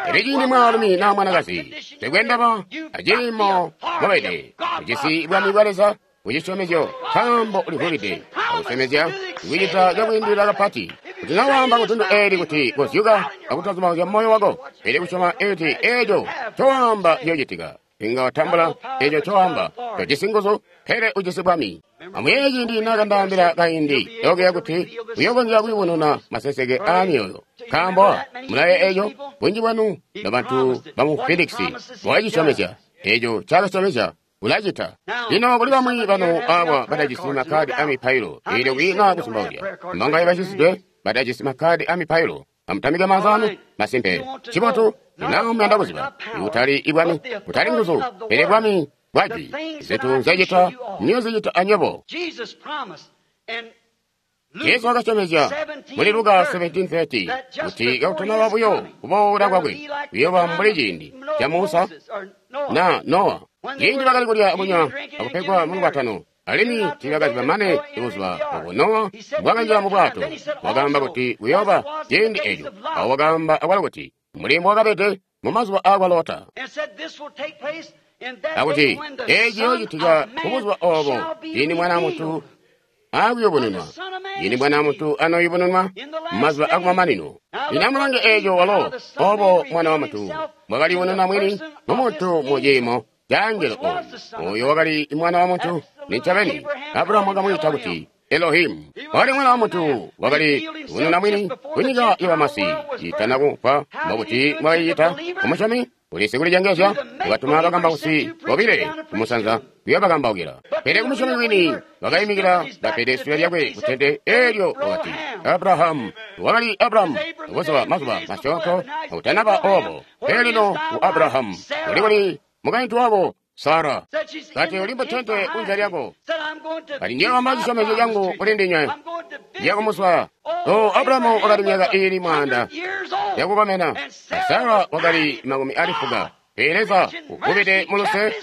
Pele ciindi mwaalumi naa mwanakazi tekwendaba aciimo mobede, ujisi bwami bwa Leza kucisyomezyo, nkaambo ulivubide akusyomezya kucita cakwiindilila kapati. Kuti na waamba kutundu eli kuti kozyuka akutazubauzya moyo wako, pele kusyoma eti eco cowaamba ciyocitika, inga watambula eco cowaamba. Tojisi nguzu, pele ujisi bwami. Amuyeeye ciindi naakandaambila kaindi okuya kuti uyokonzya kuyubununa maseseke aa myoyo. Nkaambo mulaye eco, bunji bwanu nobantu bamu Phoenix wakacisyomezya. Eco cakasyomezya ulacita. Lino kuli bamwi banu awa batajisi makkadi a mipailo, eelyo kwiina kusumbauzya. Mbangaye bacisidwe batajisi makkadi a mipailo, amutamike maanza anu. Masimpe, cibotu ina muyanda kuziba kutali ibwami, kutali nguzu, pele bwami bwajwi. Zintu nzyacita niyozicita anywebo. Yesu wakasyomezya muli Luka seventeen thirty kuti kakutanaba buyo kuboola kwakwe kuyooba mbuli ciindi ca Musa na Nowa, ciindi bakali kulya akunywa akupegwa mu lukwatano, alimwi tiibakaziba mane buzuba obo Nowa bwakanjila mu bwato. Wakaamba kuti kuyooba ciindi eco. Awo wakaamba akwalo kuti mbuli mbwakabede mu mazuba aakwa Lota, akuti eeci ciyoocitika kubuzuba obo ciindi Mwana wa Muntu akuyubununwa, ciindi Mwana wa Muntu anoyubununwa mumazuba akumamanino. Lino amulange eeco walo obo Mwana wa Muntu mbwakaliyubununa mwini mumuntu mu ciimo ca angelo oyu. Oyo wakali Mwana wa Muntu nincobeni. Abrahamu wakamwiita kuti Elohimu. Wakali Mwana wa Muntu, wakali yubununa mwini kunyika yabamasi itana kufa. Mbokuti mwakacicita kumusyomi ulisi kulicengezya, wakatuma bakambausi bobile kumusanza kuyobakambaukila. Pele kumusyomi wini wakayimikila kapede sule lyakwe kutente eelyo wakati Abrahamu. Wakali Abrahamu buzuba mazuba masyoonto akutanaba obo. Pele lino ku Abrahamu uli kuli mukaintu wako Sara, kati uli mutente kunze lyako, kati ndiyowamba cisyomezyo cangu kuli ndinywe ndiyakumuswaya. O Abrahamu wakali myaka iili mwaanda yakukomena, Sara wakali makumi ali fuka. Pele Leza uvubide muluse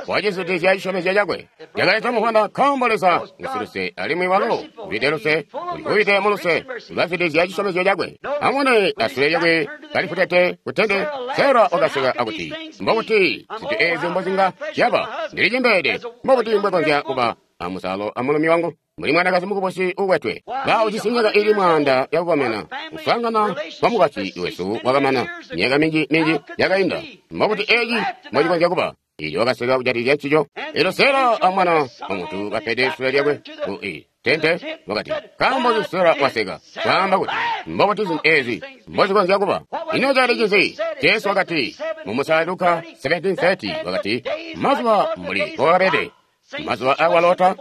wacizutizya cisyomezyo cakwe. Yakaleta muvwanda nkaambo Leza ngusiluse, alimwi walo uvide luse, ulivubide muluse ulazutizya cisyomezyo cakwe. Amubone asule lyakwe kalifutete kutente. Sara wakaseka akuti, mbokuti zintu eezi mbozinga zyaba, ndilicembeede, mbokuti mbwekonzya kuba amusalo amulumi wangu mbuli mwanakazi mukubusi ukwetwe. Ba ujisi myaka ili mwaanda yakukomena. Kuswaangana kwa mukwasyi wesu wakamana myaka minji minji yakainda. Mbokuti eeci mbocikonzya kuba? Iyo wakaseka kujatikizya ncico. Elyo Sara amwana wa muntu kapede sule lyakwe ku tente wakati, nkaambo nzi Sara waseka kwaamba kuti mbokuti zintu eezi mbozikonzya kuba? Ino cali cinzi? Jesu wakati mu Musala Luka seventeen thirty wakati, mazuba mbuli mbokakabede mazuba akwa Lota,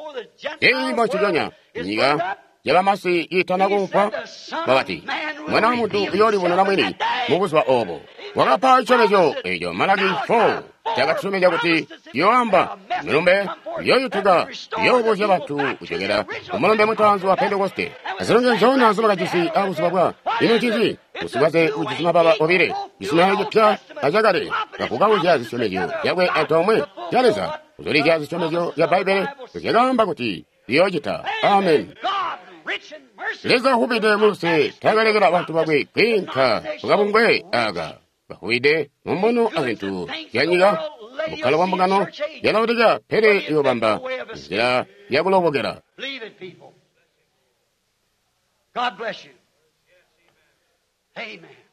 ciimo nciconya nyika yabamasi iitana kufa. Wakati Mwana wa Muntu uyoolibonena mwini mubuzuba obo. Wakapa cisyomezyo eco Malaki four cakatusyomezya kuti yoamba milumbe yoyutuka yoobuzya bantu kucokera kumulumbe mutaanzi wa Pentekoste. Azilonge nzona nzobakajisi abuzuba bwa ino ncinzi? Usikwaze ujisi mababa obile, cizuminano cipya acakale, kakukauzya zisyomezyo zyakwe antoomwe zya Leza, kuzulizya zisyomezyo zya Bbaibbele zyakaamba kuti liyoocita. Amen. Leza uvubide muluse takalekela bantu bakwe kwiinka kukabungwe aka. Bavubide mumbono azintu zyanyika, bukkalo bwa mbungano yalaodikea, pele iyobamba nzila yakulobokela.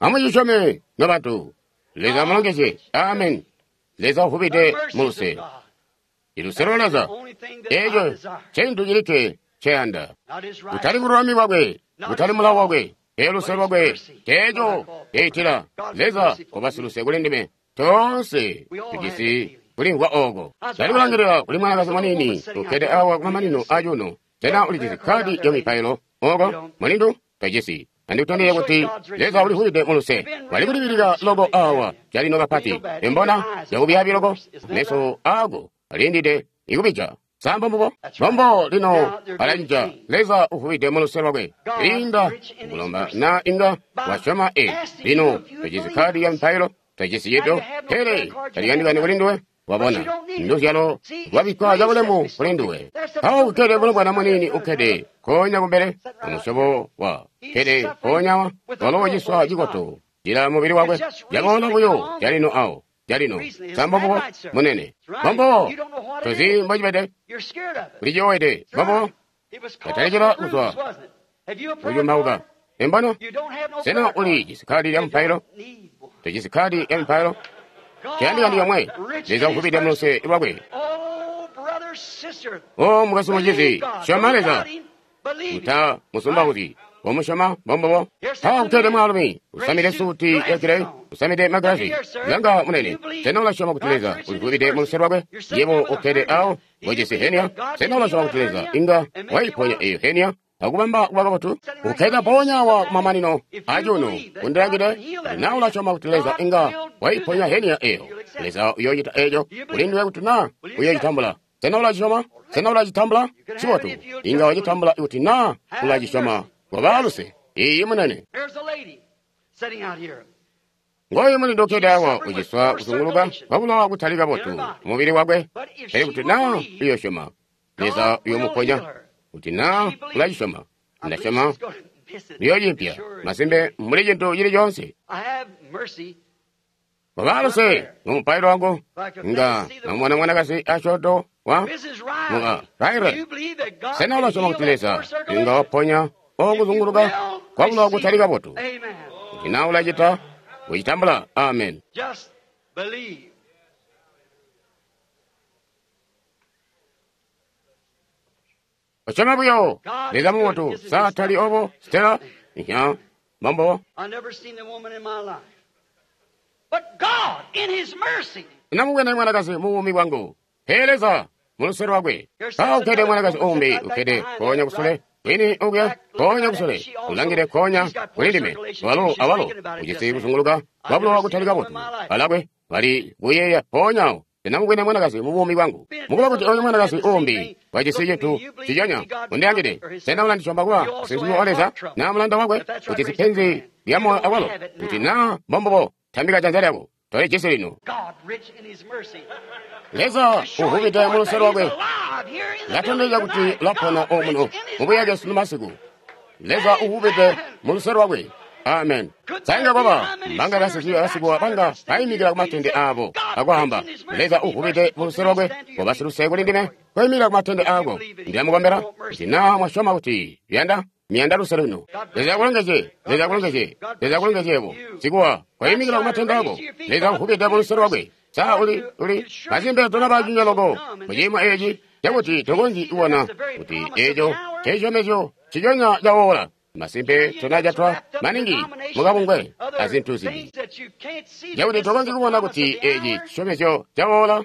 Amucisyome nobantu. Leza amulongezye. Amen. Leza uvubide muluse. Iluse lwa Leza eeco ncintu cilikke nceyanda. Kutali bululami bwakwe, kutali mulawo wakwe, pele luse lwakwe nceeco ceitila. Leza ubasiluse kuli ndime. Toonse tujisi kulimvwa ooko. Ndali kulangilila kuli mwanakazi muniini ukkede awa kumamanino acuuno. Sena ulijisi kkaadi ya mipailo ooko, mulindu? Tojisi. Andikutondezye kuti Leza ulivubide muluse. Wali kulibilika loko awa calino kapati. Imbona yakubyaabi loko, meso aako alindide ikubija. Sambo mbubo bombo lino alacija. Leza uvubide muluse lwakwe. Linda kulomba na inga wasyoma e. Lino tojisi kkaadi ya mipailo, tojisi cito, pele taliyandikani kuli nduwe. Wabona nduzyalo lwabikkwa cabulemu kuli nduwe. Awo ukkede mulombwana muniini ukkede konya kumbele umusyobo wa kkede konyawa walo uciswa cikoto cila mubili wakwe. Yaboola buyo calino awo calino. Sambo mbubo munene bombo tozi mbocibede uliciyowede bombo katalikila kuzwa kucumbauka. Imbona sena ulijisi kkaadi lya mupailo? Tojisi kkaadi ya mipailo? Ciyandikani yomwe. Leza uvubide muluse lwakwe. O mukwesu mucizi, syoma Leza. Muta musumba kuti womusyoma bombobo. Awa kukkede mwaalumi usamide suti ya gireyi, usamide magilasi. Langa munene, sena ulasyoma kuti Leza ulivubide muluse lwakwe? Yebo ukkede awo wejisi henia. Sena ulasyoma kuti Leza inga waiponya eyo henia akubamba kuba kabotu? Ukkede ponya wa kumamanino acuuno undilangide. Na ulasyoma kuti Leza inga waiponya henia eyo, Leza uyoocita eeco kuli nduwe kuti na uyoocitambula. Sena ulacisyoma? Sena ulacitambula? Cibotu. Inga wacitambula kuti na ulacisyoma. Koba luse. Iiyi munene. Ngoyu mulindu ukkede awa uciswa kuzunguluka kwabulowa kutali kabotu mubili wakwe. Pele kuti na uyosyoma, Leza uyoomuponya. Kuti na ulacisyoma, ndasyoma uyoocimpya. Masimpe mbuli cintu cili coonse. Koba luse mumupailo wangu. Nga namubona mwanakazi asyoonto wa muka Raire. Sena ulasyoma kuti Leza inga waponya okuzunguluka kwabulowa kutali kabotu? Kuti na ulacita, ucitambula. Amen. Usyoma buyo. Leza mubotu. Sa tali obo, Stella? Iya, bombo. Namubwene mwanakazi mubuumi bwangu. Pele Leza muluse lwakwe. Awa ukkede mwanakazi uumbi ukkede konya kusule. Kwini okuya konya kusule. Ulangile konya kuli ndime. Walo awalo ujisi kuzunguluka kwabulowa kutali kabotu. Alakwe bali kuyeeya poonyawo. Ndinamubwene mwanakazi mubuumi bwangu. Mukuba kuti oyu mwanakazi uumbi wajisi cintu ciconya undiyangide. Sena ulandisyoma kuba musinsimi wa Leza na mulanda wakwe? Ujisi penzi lya moyo awalo. Kuti na mbombobo, tambika janza lyako. Tolijisi lino. Leza uvubide muluse lwakwe. Latondezya kuti ulapona omuno mubuyake sunu masiku. Leza uvubide muluse lwakwe. Amen. Sainga kwaba mbanga basikuwa basikuwa banga bayimikila kumatende abo akwaamba Leza uvubide muluse lwakwe wabasiluse kuli ndime koyimikila kumatende ako. Ndilamukombela kuti na mwasyoma kuti luyanda miyanda luse lwino. Leza akulongezye. Leza akulongezye. Leza akulongezyebo. Sikuwa koyimikila kumatende ako. Leza uvubide muluse lwakwe. Sa uli uli masimpe tonabacinya loko muciimo eeci cakuti tokonzyi kubona kuti eeco ncisyomezyo ciconya cawoola. Masimpe tonajatwa maningi mukabungwe azintu zimbi cakuti tokonzyi kubona kuti eeci cisyomezyo cawoola.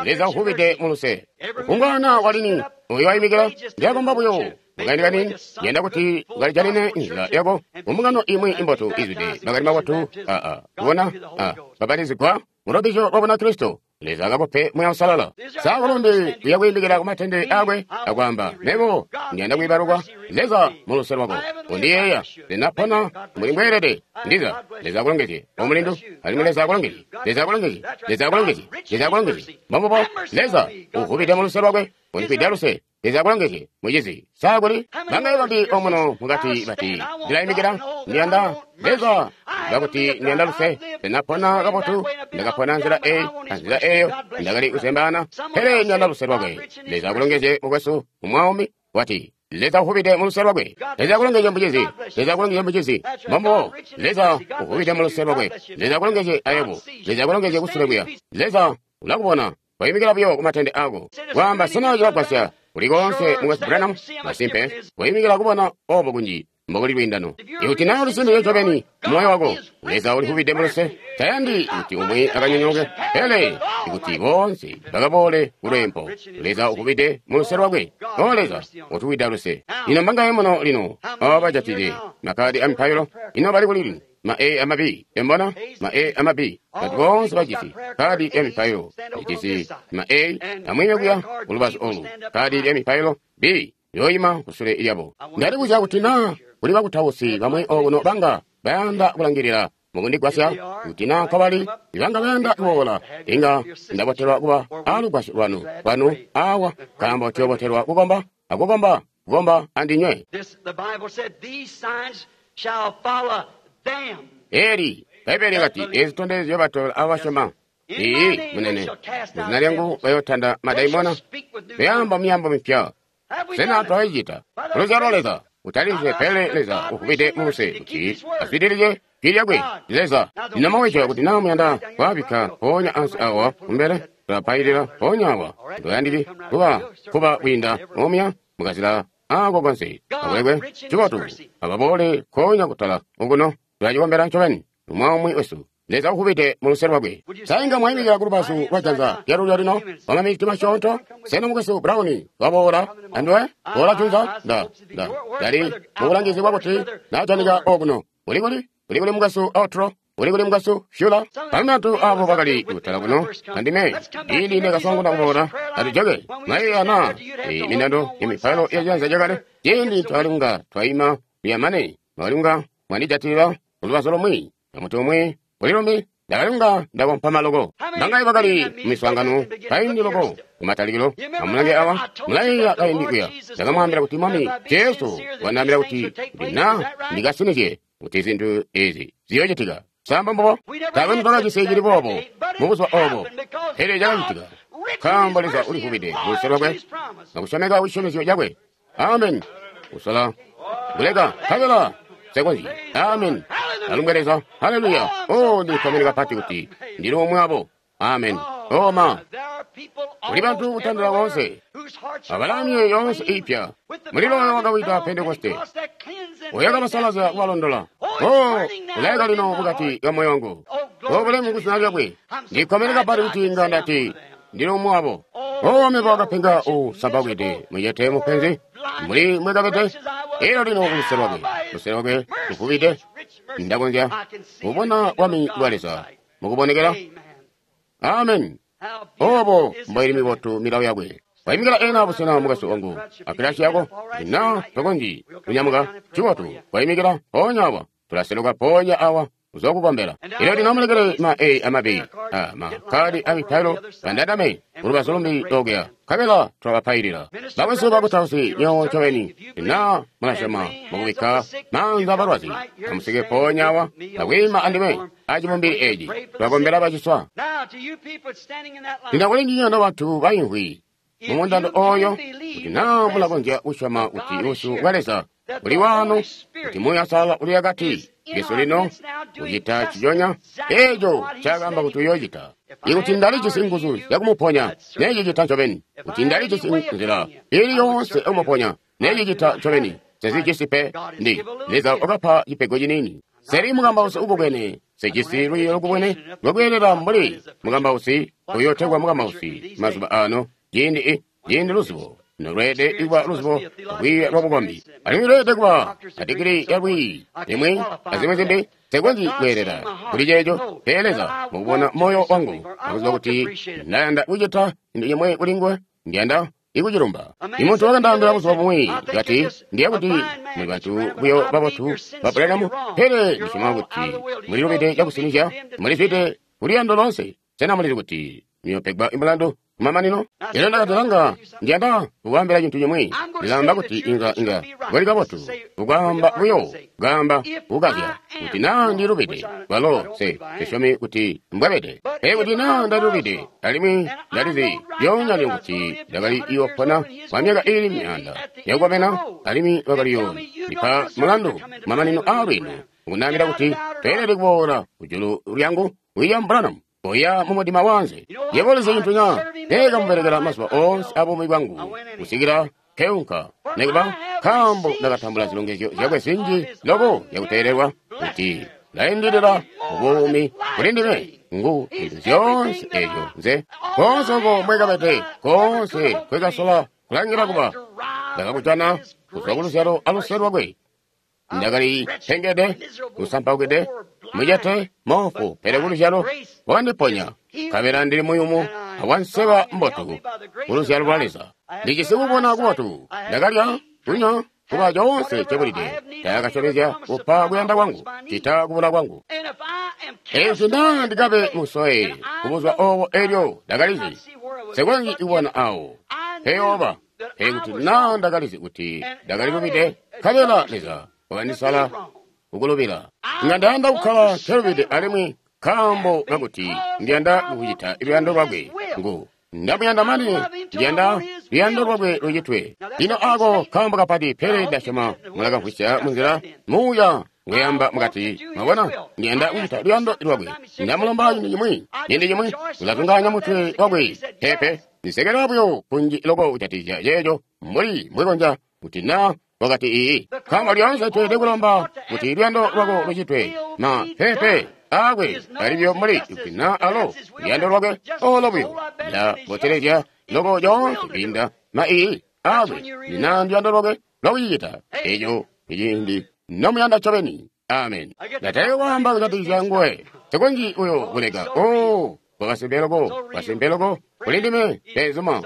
Leza uvubide muluse. Kungwana walini oyo wayimikila ndiyakomba buyo mukaindi kanini. Yanda kuti ukalijanine nzila yako mumbungano imwi imbotu izwide makani mabotu aa kubona a babatizigwa mulobisho lwa Bunakristo. Leza akakupe Muuya Uusalala. Sa kulumbi uya kwiimikila ku matende akwe akwaamba, Mebo ndiyanda kwiibalukwa. Leza mu luse lwako undiyeeya. Ndinapona mbuli mbweelede. Ndiza Leza akulongezye, omulindu. Alimwi Leza akulongezye. Leza akulongezye. Leza akulongezye. Leza akulongezye. Mbombubo Leza uvubide mu luse lwakwe undifwida luse. Leza akulongezye, mucizi. Sa kuli bangaye bambi omuno mukati bati ndilayimikila, ndiyanda Leza ngakuti ndiyanda luse. Ndinapona kabotu, ndakapona nzila eyi anzila eyo, ndakali kuzembaana, pele ndiyanda luse lwakwe. Leza akulongezye mukwesu umwaumi wati Leza uvubide mu luse lwakwe. Leza akulongezye mucizi. Leza akulongezye mucizi. Mbombubo Leza uvubide mu luse lwakwe. Leza akulongezye ayebo. Leza akulongezye kusule kuya. Leza ulakubona wayimikila buyo ku matende ako. Kwaamba sena cilagwasya kuli koonse mukwesu Branham? Masimpe, wayimikila kubona obo kunji mbokuli lwiindano. Ikuti naa ulisinizye ncobeni moyo wako, Leza ulivubide mu luse. Tayandi kuti umwi akanyonyooke, pele ikuti boonse bakaboole ku lweempo. Leza uvubide mu luse lwakwe. O Leza, utuwida luse. Ino mbangaye muno lino abo bajatide makadi amipailo? Ino bali kuli lino? Ma A ama B, embona? Ma A ama B. Bantu boonse bajisi kadi ya mipailo. Ijisi ma A amwiime kuya kulubazu olu. Kadi ya mipailo B yoyima kusule lyabo. Ndalibuzya kuti naa kuli bakutausi bamwi okuno banga bayanda kulangilila mukundigwasya, kuti naa nkobali ibanga bayanda kuboola, inga ndabotelwa kuba alugwasyo lwanu lwanu awa, nkaambo tuyobotelwa kukomba akukomba kukomba andinywe. This, the Bible said, these signs shall follow them. Eli Bbaibele lyakati ezi zitondezyo batobela abasyoma. Iiyi, munene, muzina lyangu bayootanda madaimona, bayaamba myaambo mipya. Have we Sena done it? twayicita luzyalo Leza utalizye, pele Leza uvubide mu luse kuti azwidilizye jwi lyakwe. Leza lino maweco kuti naa muyanda kwaabikka mpoonya ansi awa kumbele, tulapailila mpoonya awa. Toyandiki kuba kuba kwiinda omuya mukazila ako konse. Akulekwe cibotu ababoole nkoonya kutala okuno, tulacikombela ncobeni umwi wesu. Leza uvubide mu luse lwakwe. Sa inga mwayimikila ku lubazu lwa janza lyalulyo lino wamaminiti masyoonto? Sena mukwesu Brown waboola anduwe? Boola junza? Nda, nda, ndali mubulangizi bwakuti najanika okuno. Uli kuli? Uli kuli mukwesu Outro? Uli kuli mukwesu Fuller? Bamwi bantu abo bakali kutala kuno andime ili ndakasanguna kuboola. Atujoke mwayeeya na mindando yamipailo ya janza lyakale ciindi twakali kunga twaima luyamane mwakali kunga mwandijatilila kulubazu lumwi amuti umwi kuli lumbi ndakali kunga ndakompama loko. Bangaye bakali mumiswaangano kaindi loko kumatalikilo. Amulange awa, mulayeeya kaindi kuya ndakamwaambila kuti Mwami Jesu wandaambila kuti kuti naa ndikasinizye kuti zintu ezi ziyoocitika. Sa mbombubo? Taakwe nitwakacisi cili boobo mubuzuba obo, pele cakacitika nkaambo Leza ulivubide mu luse lwakwe akusyomeka kucisyomezyo cakwe. Amen. Kusola kuleka nkabela sekonzyi. Amen. Alumbwe Leza. Haleluya. O, ndikkomene kapati kuti ndili umwi wabo. Amen. O ma, There are people kuli bantu almost kutandila everywhere koonse whose hearts are abalaa all myoyo yoonse aflame iipya. with the Mulilo oyo burning wakawida of Pentekoste Pentecost that cleanse and oyo makes that akabasalazya clean. kubalondola. Oh, it's O, burning now ulayaka within lino my mukati heart. ka moyo wangu. Oh, O, glory bulemu to ku his zina lyakwe. name. I'm so Ndikkomene glad kapati that I kuti can inga say I'm ndati one of them. ndili umwi wabo. Oh, O, mebo we akapenga are usambawide miserable, muyete mupenzi poor, mbuli blinded mwekabete. wretches I was, Elo but lino kuluse now lwakwe, by his luse lwakwe mercy, luvubide, his rich mercy, ndakonzya I can see the kubona kingdom of bwami God bwa in Leza sight. mukubonekela. Amen. Amen. How Obo beautiful is his mboili commandment. mibotu milawo yakwe. Wayimikila ena busena mukwesu wangu akilasi yako na tokonzyi kunyamuka cibotu. Wayimikila mpoonya awa, tulaseluka mpoonya awa uzokukombela. Ilo lino mulekele ma A ama B a makadi amipailo bandadame kulubazu lumbi lokuya nkabela tulabapailila. Bakwesu bakutausi nyowo ncobeni na mulasyoma mukubikka maanza abalwazi, amusike mpoonya awa akwiima andime acibumbili eci tulakombela baciswa. Now, to you people standing in that line, Ndinakuli ndinyona bantu bayimvwi if mumundando you can oyo believe kuti the naa mulakonzya presence kusyoma of kuti God is lusu here, lwa Leza that uli the wano, Holy kuti Spirit Muuya Uusalala uli akati is in Yesu our lino midst now doing kucita just ciyonya exactly eco what He ncaakaamba said He kuti would do. uyoocita. If I Ikuti had ndalijisi power to nguzu heal you, zyakumuponya, I'd certainly do necicita it. ncobeni. If Kuti I had any ndalijisi way of nzila healing you, ili I would yoonse certainly do it. yakumuponya, I do necicita not have ncobeni. it. I, Sesijisi pe God has ndi given a little Leza gift. wakapa cipego ciniini. I'm Seli not mukambausi much of a ukubwene, preacher. I don't sejisi have lwiiyo lukubwene education enough to be lwakweelela qualified mbuli as a preacher. mukambausi What's uyotegwa called a preacher in mukambausi these mazuba days ano ciindi i when ciindi it's luzubo Lino lweelede kuba luzibo lwiiya lwabukombi, alimwi lweelede kuba a digiri ya lwiiyi limwi azimwi zimbi. Nsekonzyi kweelela kuli ceeco, pele Leza mukubona moyo wangu akuziba kuti ndayanda kucita cintu cimwi kuli nguwe, ndiyanda ikucilumba. Imuntu wakandaambila buzuba bumwi, kati, Ndiya kuti muli bantu buyo babotu ba Branham, pele ndisyoma kuti mulilubide cakusinizya, mulizwide kuliyando loonse. Sena mulizi kuti muyopegwa mulandu kumamanino? Elyo ndakati, Langa, ndiyanda kukwaambila cintu cimwi. Ndilaamba kuti inga inga kuli kabotu kukwaamba buyo, kaamba kukazya kuti naa ndilubide, kwalo nse sisyomi kuti mbwabede. Pele kuti naa ndalubide, alimwi ndalizi lyoonya lino kuti ndakali yoopona kwa myaka iili myaanda yakukomena, alimwi wakali yoondipa mulandu kumamanino aa lwiendo, ukundaambila kuti toyelede kuboola kujulu lyangu, William Branham, oya mumudima wanze. Yebo ulizi cintu na? Ndeekamubelekela mazuba oonse abuumi bwangu kusikila keunka, nikuba nkaambo ndakatambula zilongezyo zyakwe zinji loko zyakuteelelwa kuti laindilila mubuumi kuli ndime ngu zintu zyoonse ezyo nze koonse oko mbwekabede, koonse kwekasola kulangila kuba ndakakujana kuzwa kuluzyalo aluse lwakwe. Ndakali pengede, kusampaukide, mucete, moofu, pele kuluzyalo wakandiponya, nkabela ndili muyumu awanseba mbotu kuluzyalo lwa Leza. Ndijisi kubona kubotu, ndakalya, kunywa, kuba coonse cebulide. Ndakasyomezya kupa kuyanda kwangu, cita kubula kwangu. Ezi naa ndikabe musoe kubuzwa obo elyo ndakalizi nsekonzyi kubona awo peyooba, pele kuti naa ndakalizi kuti ndakalilubide, nkabela Leza wakandisala kukulubila. Inga ndayanda kukkala nkelubide alimwi nkaambo kakuti ndiyanda kucita luyando lwakwe. Ngu ndamuyanda mane ndiyanda luyando lwakwe lucitwe. Lino ako kaambo kapati, pele ndasyoma mulakamvwisya munzila muuya ngweyamba mukati. Mwabona, ndiyanda kucita luyando lwakwe. Ndamulomba cintu cimwi, ciindi cimwi ulatunganya mutwe wakwe. Pepe, ndisekela buyo kunji loko kujatikizya ceeco mbuli mbwekonzya kuti naa wakati iyi. Nkaambo lyoonse tweelede kulomba kuti luyando lwako lucitwe, ma pepe akwe alibyo mbuli kuti naa alo luyando lwakwe olo buyo ndabotelezya loko lyoonse kwiinda ma iyi akwe naa nduyando lwakwe lwakucicita. Eco iciindi nomuyanda ncobeni. Amen. Ndatalika kwaamba kujatikizya nguwe, nsekonzyi uyo kuleka. Oh, kwakasimpe loko, kasimpe loko kuli ndime, beenzuma,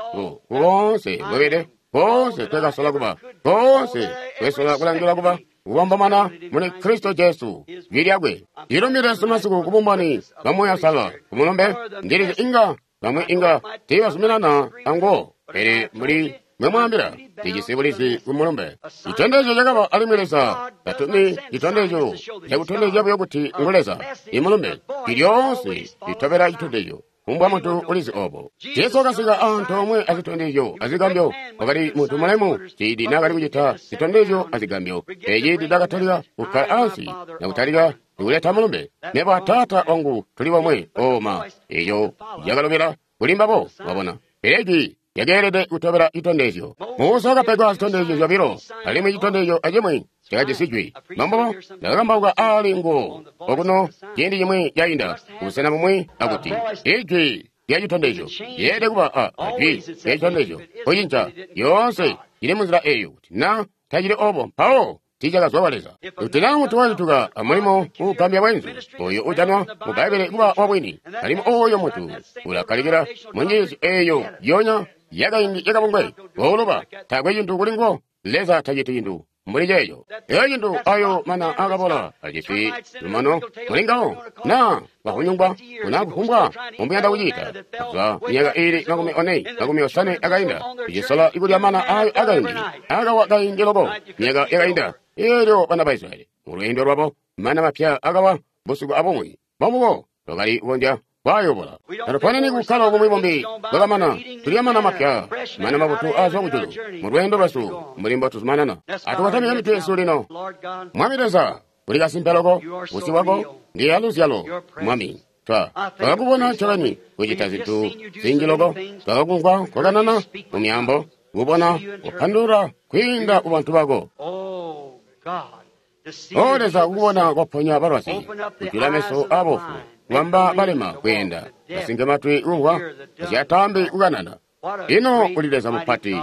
koonse mbwebede, koonse twekasola kuba, koonse twesola kulangila kuba, kubombomana muli Kristo Jesu, jwi lyakwe. Ndilumile masiku kubumboni bwa Muuya Uusalala kumulumbe, ndilizi inga bamwi inga tiibazuminana anguwo, pele mbuli mwemwaambila, ndijisi bulizi kumulumbe. Citondezyo cakaba alimwi Leza tatumi citondezyo cakutondezya buyo kuti ngu Leza. Imulumbe jwi lyoonse litobela citondezyo. Kumbwa muntu ulizi obo. Jesu wakasika antoomwe azitondezyo azigambyo. Wakali muntu mulemu ciindi naakali kucita zitondezyo azigambyo. Pele ciindi naakatalika kukkala ansi nakutalika kuleta mulumbe, mebo a Taata wangu tuli bomwe. Oma, eco cakalobela kuli mbabo, mwabona. Pele jwi lyakeelede kutobela citondezyo. Musa wakapegwa zitondezyo zyobilo, alimwi citondezyo acimwi cakajisi jwi. Mambo ndakakambauka aali nguwo okuno ciindi cimwi cainda kubusena bumwi akuti ijwi lya citondezyo lyeelede kuba a jwi lya citondezyo kucinca lyoonse cili munzila eyo. Kuti naa tacili obo, mpawo tiicakazwa kwa Leza. Kuti naa muntu wacituka amulimo uugambya bwenzu, oyo ujanwa mu Bbaibbele kuba wabwini, alimwi oyo muntu ulakkalikila munjiisyo eyo yonya yakaindi yakabungwe, kooloba taakwe cintu kuli nguwo. Leza taciti cintu mbuli ceeco. Eyo cintu ayo mana akabola ajisi lumano muli ngawo, naa bahunyungwa kuna kufumbwa mbomuyanda kucita. Kuzwa myaka iili makumi one makumi osanwe akainda, icisola ikulya mana ayo akaindi akawa kaindi loko myaka yakainda. Eelyo bana ba Israyeli mulweendo lwabo mana mapya akawa busiku abumwi, bombubo lwakali kukonzya kwayobola. Tatuponeni kukkala bumwi bumbi bwakamana, tulya mana mapya, mana mabotu aazwa kujulu mulweendo lwesu mbuli mbotuzumanana. Atukotamike mitwe yesu lino. Mwami Leza, uli kasimpe loko, busyu bwako ndi aluzyalo, Mwami. Twa twakakubona ncobeni kucita zintu zinji loko, twakakumvwa kwakanana mu myaambo, kubona kupandulula kwiinda kubantu bako. O Leza, kukubona kwaponya balwazi, kujula meso aabofu, kubamba balema kweenda, basinke matwi kumvwa, basyaataambi kukanana, Ino uli Leza mupati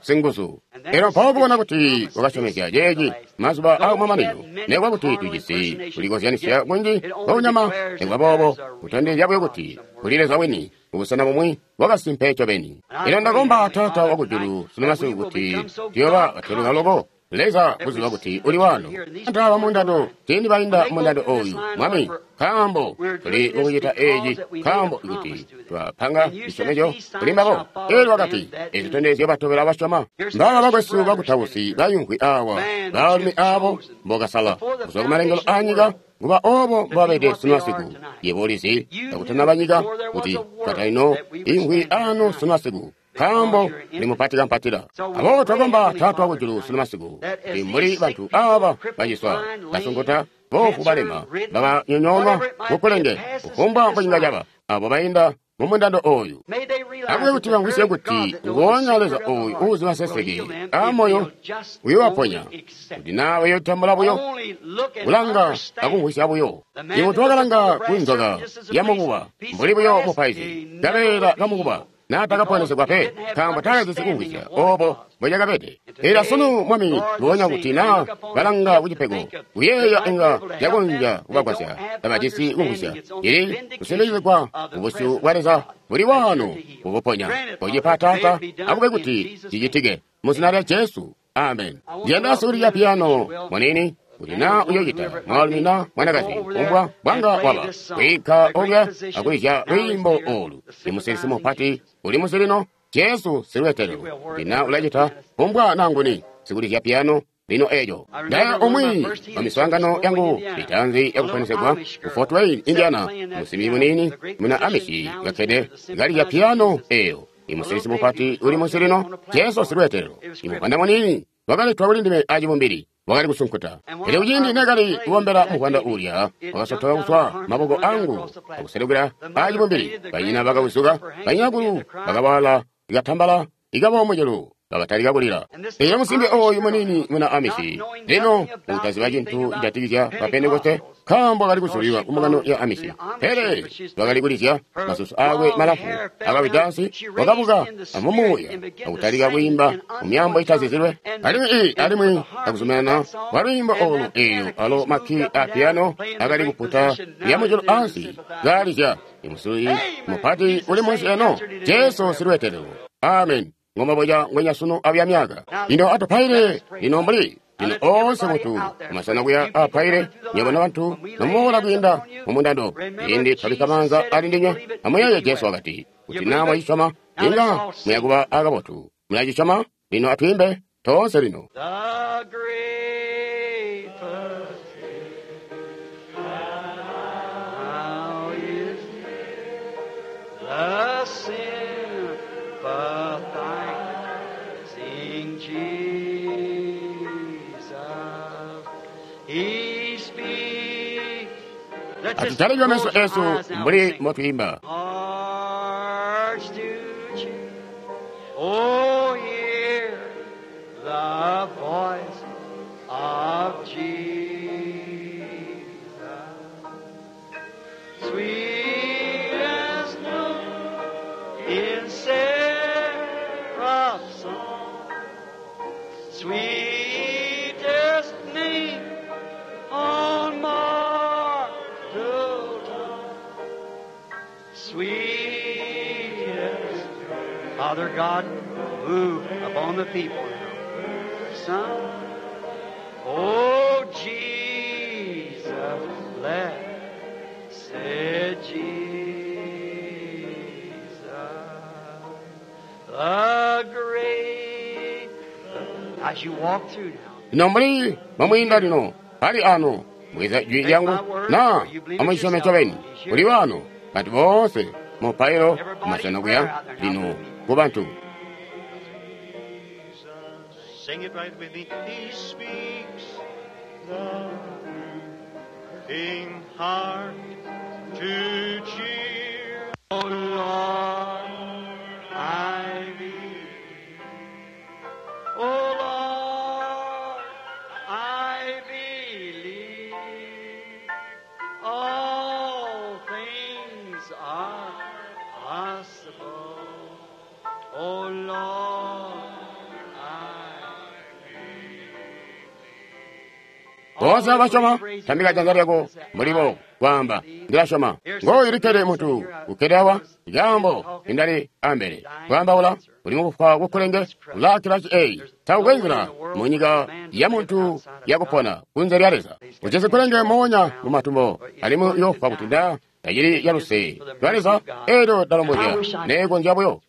singuzu. Elyo mpawo kubona kuti wakasyomezya ceeci mazuba aakumamanino, nekuba kuti tujisi kulikozyanisya kunji kwakunyama, nekuba boobo kutondezya buyo kuti kuli Leza wini kubusena bumwi bwakasimpe ncobeni. Elyo ndakomba Taata wakujulu sunu masiku kuti tuyooba batweluka loko Leza kuziba kuti uli wano. Bantu aba mundando, ciindi bainda mundando oyu, Mwami, nkaambo tuli mukucita eci, nkaambo kuti twapanga cisyomezyo kuli mbabo. Elyo wakati, ezi zitondezyo batobela basyoma. Mbaba bakwesu bakutausi bayimvwi awa, baalumi abo mbokasala kuzwa kumalengelo aanyika, kuba obo mbobabede sunu masiku. Yebo ulizi kakutanaba nyika kuti katalino imvwi ano sunu masiku, nkaambo ndi mupati kampatila. Aboobo twakomba Taata wakujulu sunu masiku kuti mbuli bantu aba baciswa, basunkuta, boofu, balema, bakanyonyoonwa kukulenge, kufumbwa mbocinga caba, abo bainda mumundando oyu, akube kuti bamvwisye kuti nguonya Leza oyu uuzi maseseke aamoyo uyoobaponya, kuti naa bayotambula buyo kulanga akumvwisya buyo. Imuntu wakalanga ku nzoka yamukuba mbuli buyo mupaizi, kabeela kamukuba, naatakaponesegwa pe, nkaambo taakajisi kumvwisya obo mbocakabede. Ela sunu, Mwami, nguonya kuti naa balanga kucipego, kuyeeya inga cakonzya kubagwasya, tabajisi kumvwisya. Ili kusimbikizigwa kubusyu bwa Leza buli wano kukuponya. Kocipa Taata, akube kuti cicitike mu zina lya Jesu. Amen. Ndiyanda sikulizya piyano munini, kuti naa uyocita mwaalumi na mwanakazi, kumbwa bwanga waba kwiinka okuya akulizya lwiimbo olu. Imusilisi mupati uli musilino, Jesu silweetelelo. Kuti naa ulacita kumbwa naa nguni sikulizya piyano lino eeco. Ndaya umwi wa miswaangano yangu mitaanzi yakuponesegwa ku Fort Wayne, Indiana, musimbi muniini muna Amishi kakkede kalizya piyano eeyo. Imusilisi mupati uli musilino, Jesu silweetelelo. Imuvwanda muniini wakaletwa kuli ndime acibumbili, wakali kusunkuta. Pele kuciindi neekali kubombela muvwanda uulya, wakasotoka kuzwa maboko angu akuselukila acibumbili. Banyina bakawizuka, banyinakulu bakawala ikatambala ikaboomucelu, bakatalika kulila. Elyo musimbi oyu muniini muna Amishi, lino utaziba cintu cijatikizya ba Pentekoste, nkaambo akali kuzulilwa ku mbungano ya Amishi. Pele wakali kulizya, masusu aakwe malamfu akawida ansi, wakabuka amumuuya akutalika kwiimba mu myaambo itazizilwe. Alimwi i alimwi akuzumanana kwa lwiimbo olu, eelyo alo makki a piyano akali kuputa lyamujulu ansi kaalizya. Imusilisi mupati uli munsi eno, Jesu silweetelelo. Amen. Ngomaboja ngwenya sunu abya myaka. Lino atupaile lino mbuli lino oonse muntu kumasena kuya apaile, nywebo nobantu nomuboola kwiinda mumundando, ciindi twabikka maanza ali ndinywe, amuyeeye Jesu wakati, kuti naa mwacisyoma, inga muyakuba akabotu. Mulacisyoma? Lino atwiimbe toonse lino. The great physician now is the sympathizing Jesus. He speaks. Let's just Atutalike meso close our esu eyes now and mbuli sing. motwiimba. Hearts to cheer. Oh, hear the voice of Jesus. Sweet as snow in seraph's song, sweetest name on mortal tongue. Sweetest Father God, move upon the people now. Son, oh Jesus, blessed Jesus, the great. As you walk through now, Lino mbuli momwiinda lino pali ano bweza jwi lyangu na amucisyome ncobeni kuli wano bantu boonse mupailo kumasena kuya lino ku bantu. Sing it right with me. He speaks the moving heart to cheer. Oh Lord, I believe. Oh Lord, I believe. All things are possible. Boonse abasyoma, tambika janza lyako mbuli kwaamba, Ndila syoma. Ngooyu likkede muntu ukkede awa, ikaambo indali ambele. Kwaambaula, uli mukufwa kukulenge, ulaakilasi eyi. Taukwe nzila mu nyika ya muntu yakupona kunze lya Leza. Ujisi kulenge moonya mu matumbo, alimwi uyofwa kuti nda tacili ya luse lwa Leza, eelyo ndalombozya neekonzya buyo.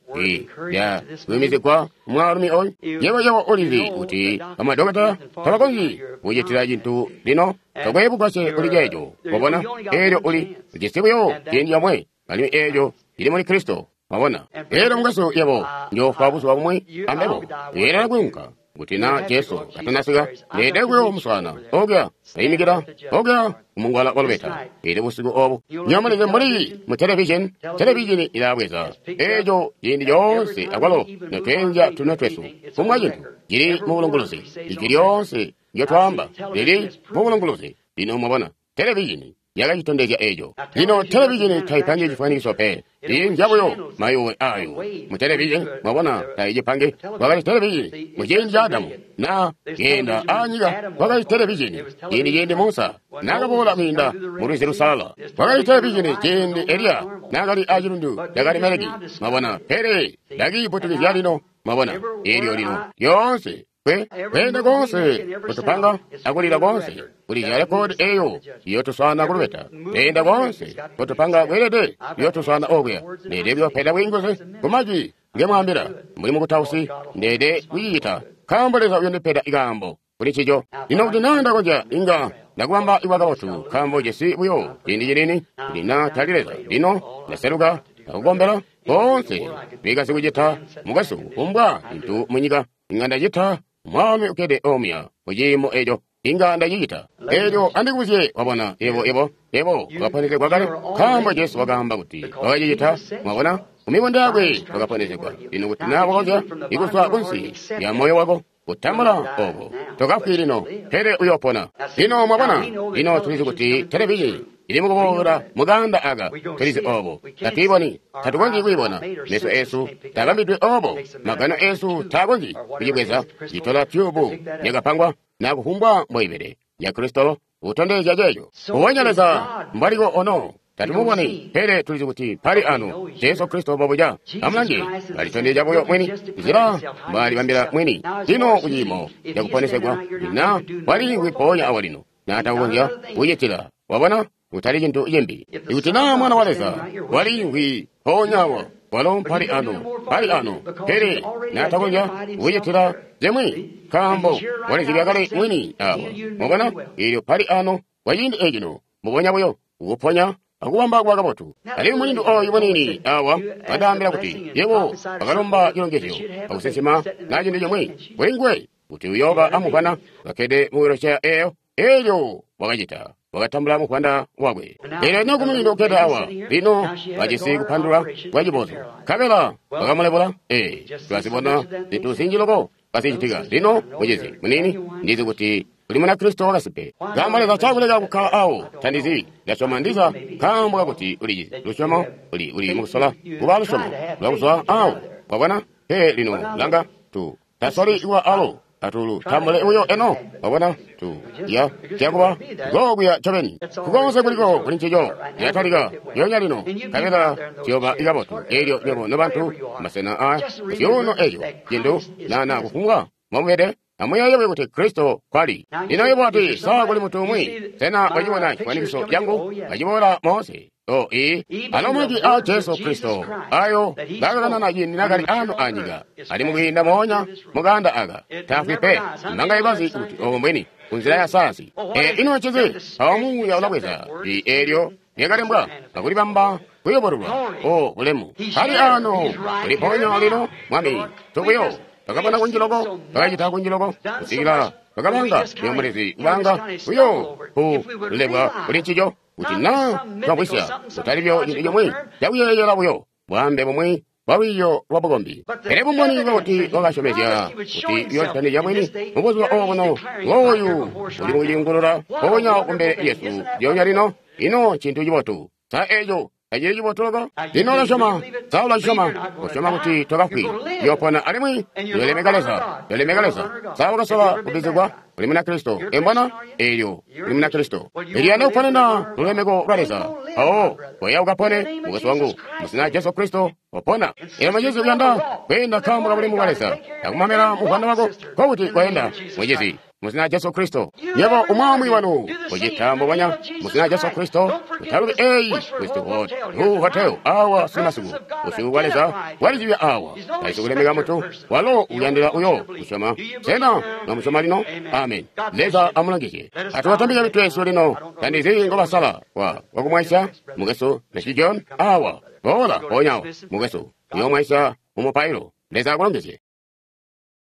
Ya kuyumizigwa mwaalumi oyu. Yebo yebo ulizi kuti bamadokotela tabakonzyi kucitila cintu lino, tokwe bugwasye kuli ceeco. Wabona, eelyo uli ujisi buyo ciindi comwe, alimwi eelyo lili muli Kristo. Wabona, eelyo mukwesu yebo njoofwa buzuba bumwi ambebo, uyeelela kwiunka. Kuti na Jesu katanasika, ndeede kuyo muswaana okuya, ayimikila okuya kumungwala wa lubeta. Eelyo busiku obu nyomulizi mbuli mu televizheni, televizheni ilabweza eeco ciindi coonse akwalo notweenzya tunwe twesu kumwa cintu cili mu bulunguluzi. Ijwi lyoonse ndyotwaamba lili mu bulunguluzi. Lino mwabona, televizheni yakacitondezya eeco. Lino televizheni taipangi cifwanikiso pe, inzya buyo mayuwe ayo mu televizheni. Mwabona, taicipangi. Kwakali televizheni mu ciindi ca Adamu na keenda anyika, kwakali televizheni ciindi ciindi Musa nakaboola kwiinda mu lwizi lusalala, kwakali televizheni ciindi Eliya nakali acilundu ca Karimeleki. Mwabona, pele ndakiiputukizya lino. Mwabona, eelyo lino lyoonse kwe kweenda konse kutupanga akulila konse kulizya rekodi eyo iyotuswana kulubeta. Kweenda konse kutupanga kweelede iyotuswana okuya. Ndeede kuyopeda bwiinguzi kumajwi ngemwaambila mbuli mukutausi, ndeede kucicita nkaambo Leza uyondipeda ikaambo kuli ncico. Lino kuti naa ndakonzya inga ndakubamba iwa kabotu, nkaambo jesi buyo ciindi cinini kuti naa tali Leza. Lino ndaseluka ndakukombela konse bikasi kucita mukwesu kufumbwa cintu munyika inga ndacita. Mwaalumi ukkede omuya muciimo eco inga ndacicita. Eelyo andikubuzye, wabona, yebo yebo yebo wakaponezegwa kale, nkaambo Jesu wakaamba kuti wakacicita. Mwabona, kumibunda yakwe wakaponezegwa. Lino kuti naa wakonzya ikuzwa kunsi ya moyo wako kutambula obo, tokafwi lino, pele uyopona. Lino mwabona, lino tulizi kuti televizheni ili mukuboola mukanda aka, tulizi obo, tatuiboni, tatukonzyi kuibona. Meso esu tabambidwe obo, magano esu takonzyi kucibweza. Citola tyubu yakapangwa na kufumbwa mbwaibele ya Kristo kutondezya ceeco. Kubonya Leza mbwaliko ono, tatumuboni, pele tulizi kuti pali ano Jesu Kristo bobuja. Amulange, alitondezya buyo mwini nzila mbwalibambila mwini lino kuciimo cakuponesegwa. Na waliimvwi mpoonya awa lino, natakukonzya kucitila. Wabona, kutali cintu cimbi. Ikuti naa mwana wa Leza waliimvwi mpoonya awa, walo mpali ano, pali ano, pele natakonzya kucitila zimwi, nkaambo walizibya kale mwini awa. Mwabona, eelyo pali ano kwa ciindi ecino, mbubonya buyo kukuponya akubamba kuba kabotu. Alimwi mulindu oyu munini awa wandaambila kuti yebo wakalomba cilongezyo akusinsima na cintu cimwi kuli nguwe kuti uyooba amuvwana kakkede mu wheelchair eyo. Eelyo wakacita, wakatambula muvwanda wakwe. Eelyo lino kumulindu ukkede awa lino bajisi kupandulwa kwa cibozo, nkabela wakamulebula. Ee, tulazibona zintu zinji loko kazicitika. Lino mucizi munini, ndizi kuti uli muna Kristo wakasimpe. Nkaambo Leza cakuleka kukkala awo, tandizi. Ndasyoma ndiza nkaambo kakuti ulijizi lusyomo, uli uli mukusola kuba lusyomo lwakuzwa awo. Wabona? Pe lino langa tu tasoli kuba alo atulu tambule uyo eno. Wabona? Tu ya kyakuba gokuya ncobeni kukonse kuliko kuli ncico yatalika yonya lino kabela ciyoba ikabotu. Eelyo nywebo nobantu masena a zyuuno eco cintu nana kufumbwa mwamubede amuyeeye kuti Kristo kwali. Lino yebo ati saa kuli muntu umwi, sena wacibona cifwanikiso cangu kaciboola moonse? O ii, alo majwi a Jesu Kristo ayo ngakakanana ciindi nakali ano anyika, ali mukwiinda moonya mukanda aka, tafwi pe. Mbanga ibazi kuti obo mbwini kunzila ya sayansi. E, ino ncinzi? Awo muuya ulabweza i eelyo lyakalembwa akulibamba kuyobololwa. O bulemu kali ano uliponya lino Mwami tubuyo twakabona kunji loko, twakacita kunji loko kusikila twakabanga yomulezi kubanga uyo kulebwa kuli ncico kuti na twabwisya kutali byo cintu cimwi cakuyeeyela buyo bwaambe bumwi bwa lwiiyo lwa bukombi. Pele bumboni bwakuti wakasyomezya kuti uyoolitanizya mwini mubuzuba obuno, ngooyu uli mukuciyungulula mpoonya kumbele lyesu lyoonya lino. Ino ncintu cibotu. Sa eco Tacili cibotu loko? Lino ulasyoma, sa ulasyoma? Usyoma kuti tokafwi, uyopona alimwi uyolemeka Leza, uyolemeka Leza. Sa wakasola kubbizigwa? Uli Munakristo. Embona? Elyo uli Munakristo. Elyo yanda kuponena lulemeko lwa Leza. Mpawo koya ukapone, mukwesu wangu, mu zina Jesu Kristo, opona. Elyo mucizi uyanda kweenda nkaambo ka bulemu bwa Leza, akumamela muvwanda wako, nkokuti koenda, mucizi, mu zina Jesu Kristo. Yebo umwi wanu ucita mbubonya mu zina Jesu Kristo. Utalubi eyi Westwood Hu Hotel awa sunumasiku. Busyu bwa Leza bwalizibya awa. Taisi kulemeka muntu walo uyandila uyo kusyoma. Sena mwamusyoma lino? Amen. Leza amulongezye. Atubatambike mitwe yesu lino. Tandizi ngobasala wa wakumwaisya mukwesu Messi John awa. Boola mpoonya awo mukwesu. Uyomwaisya mu mupailo. Leza akulongezye.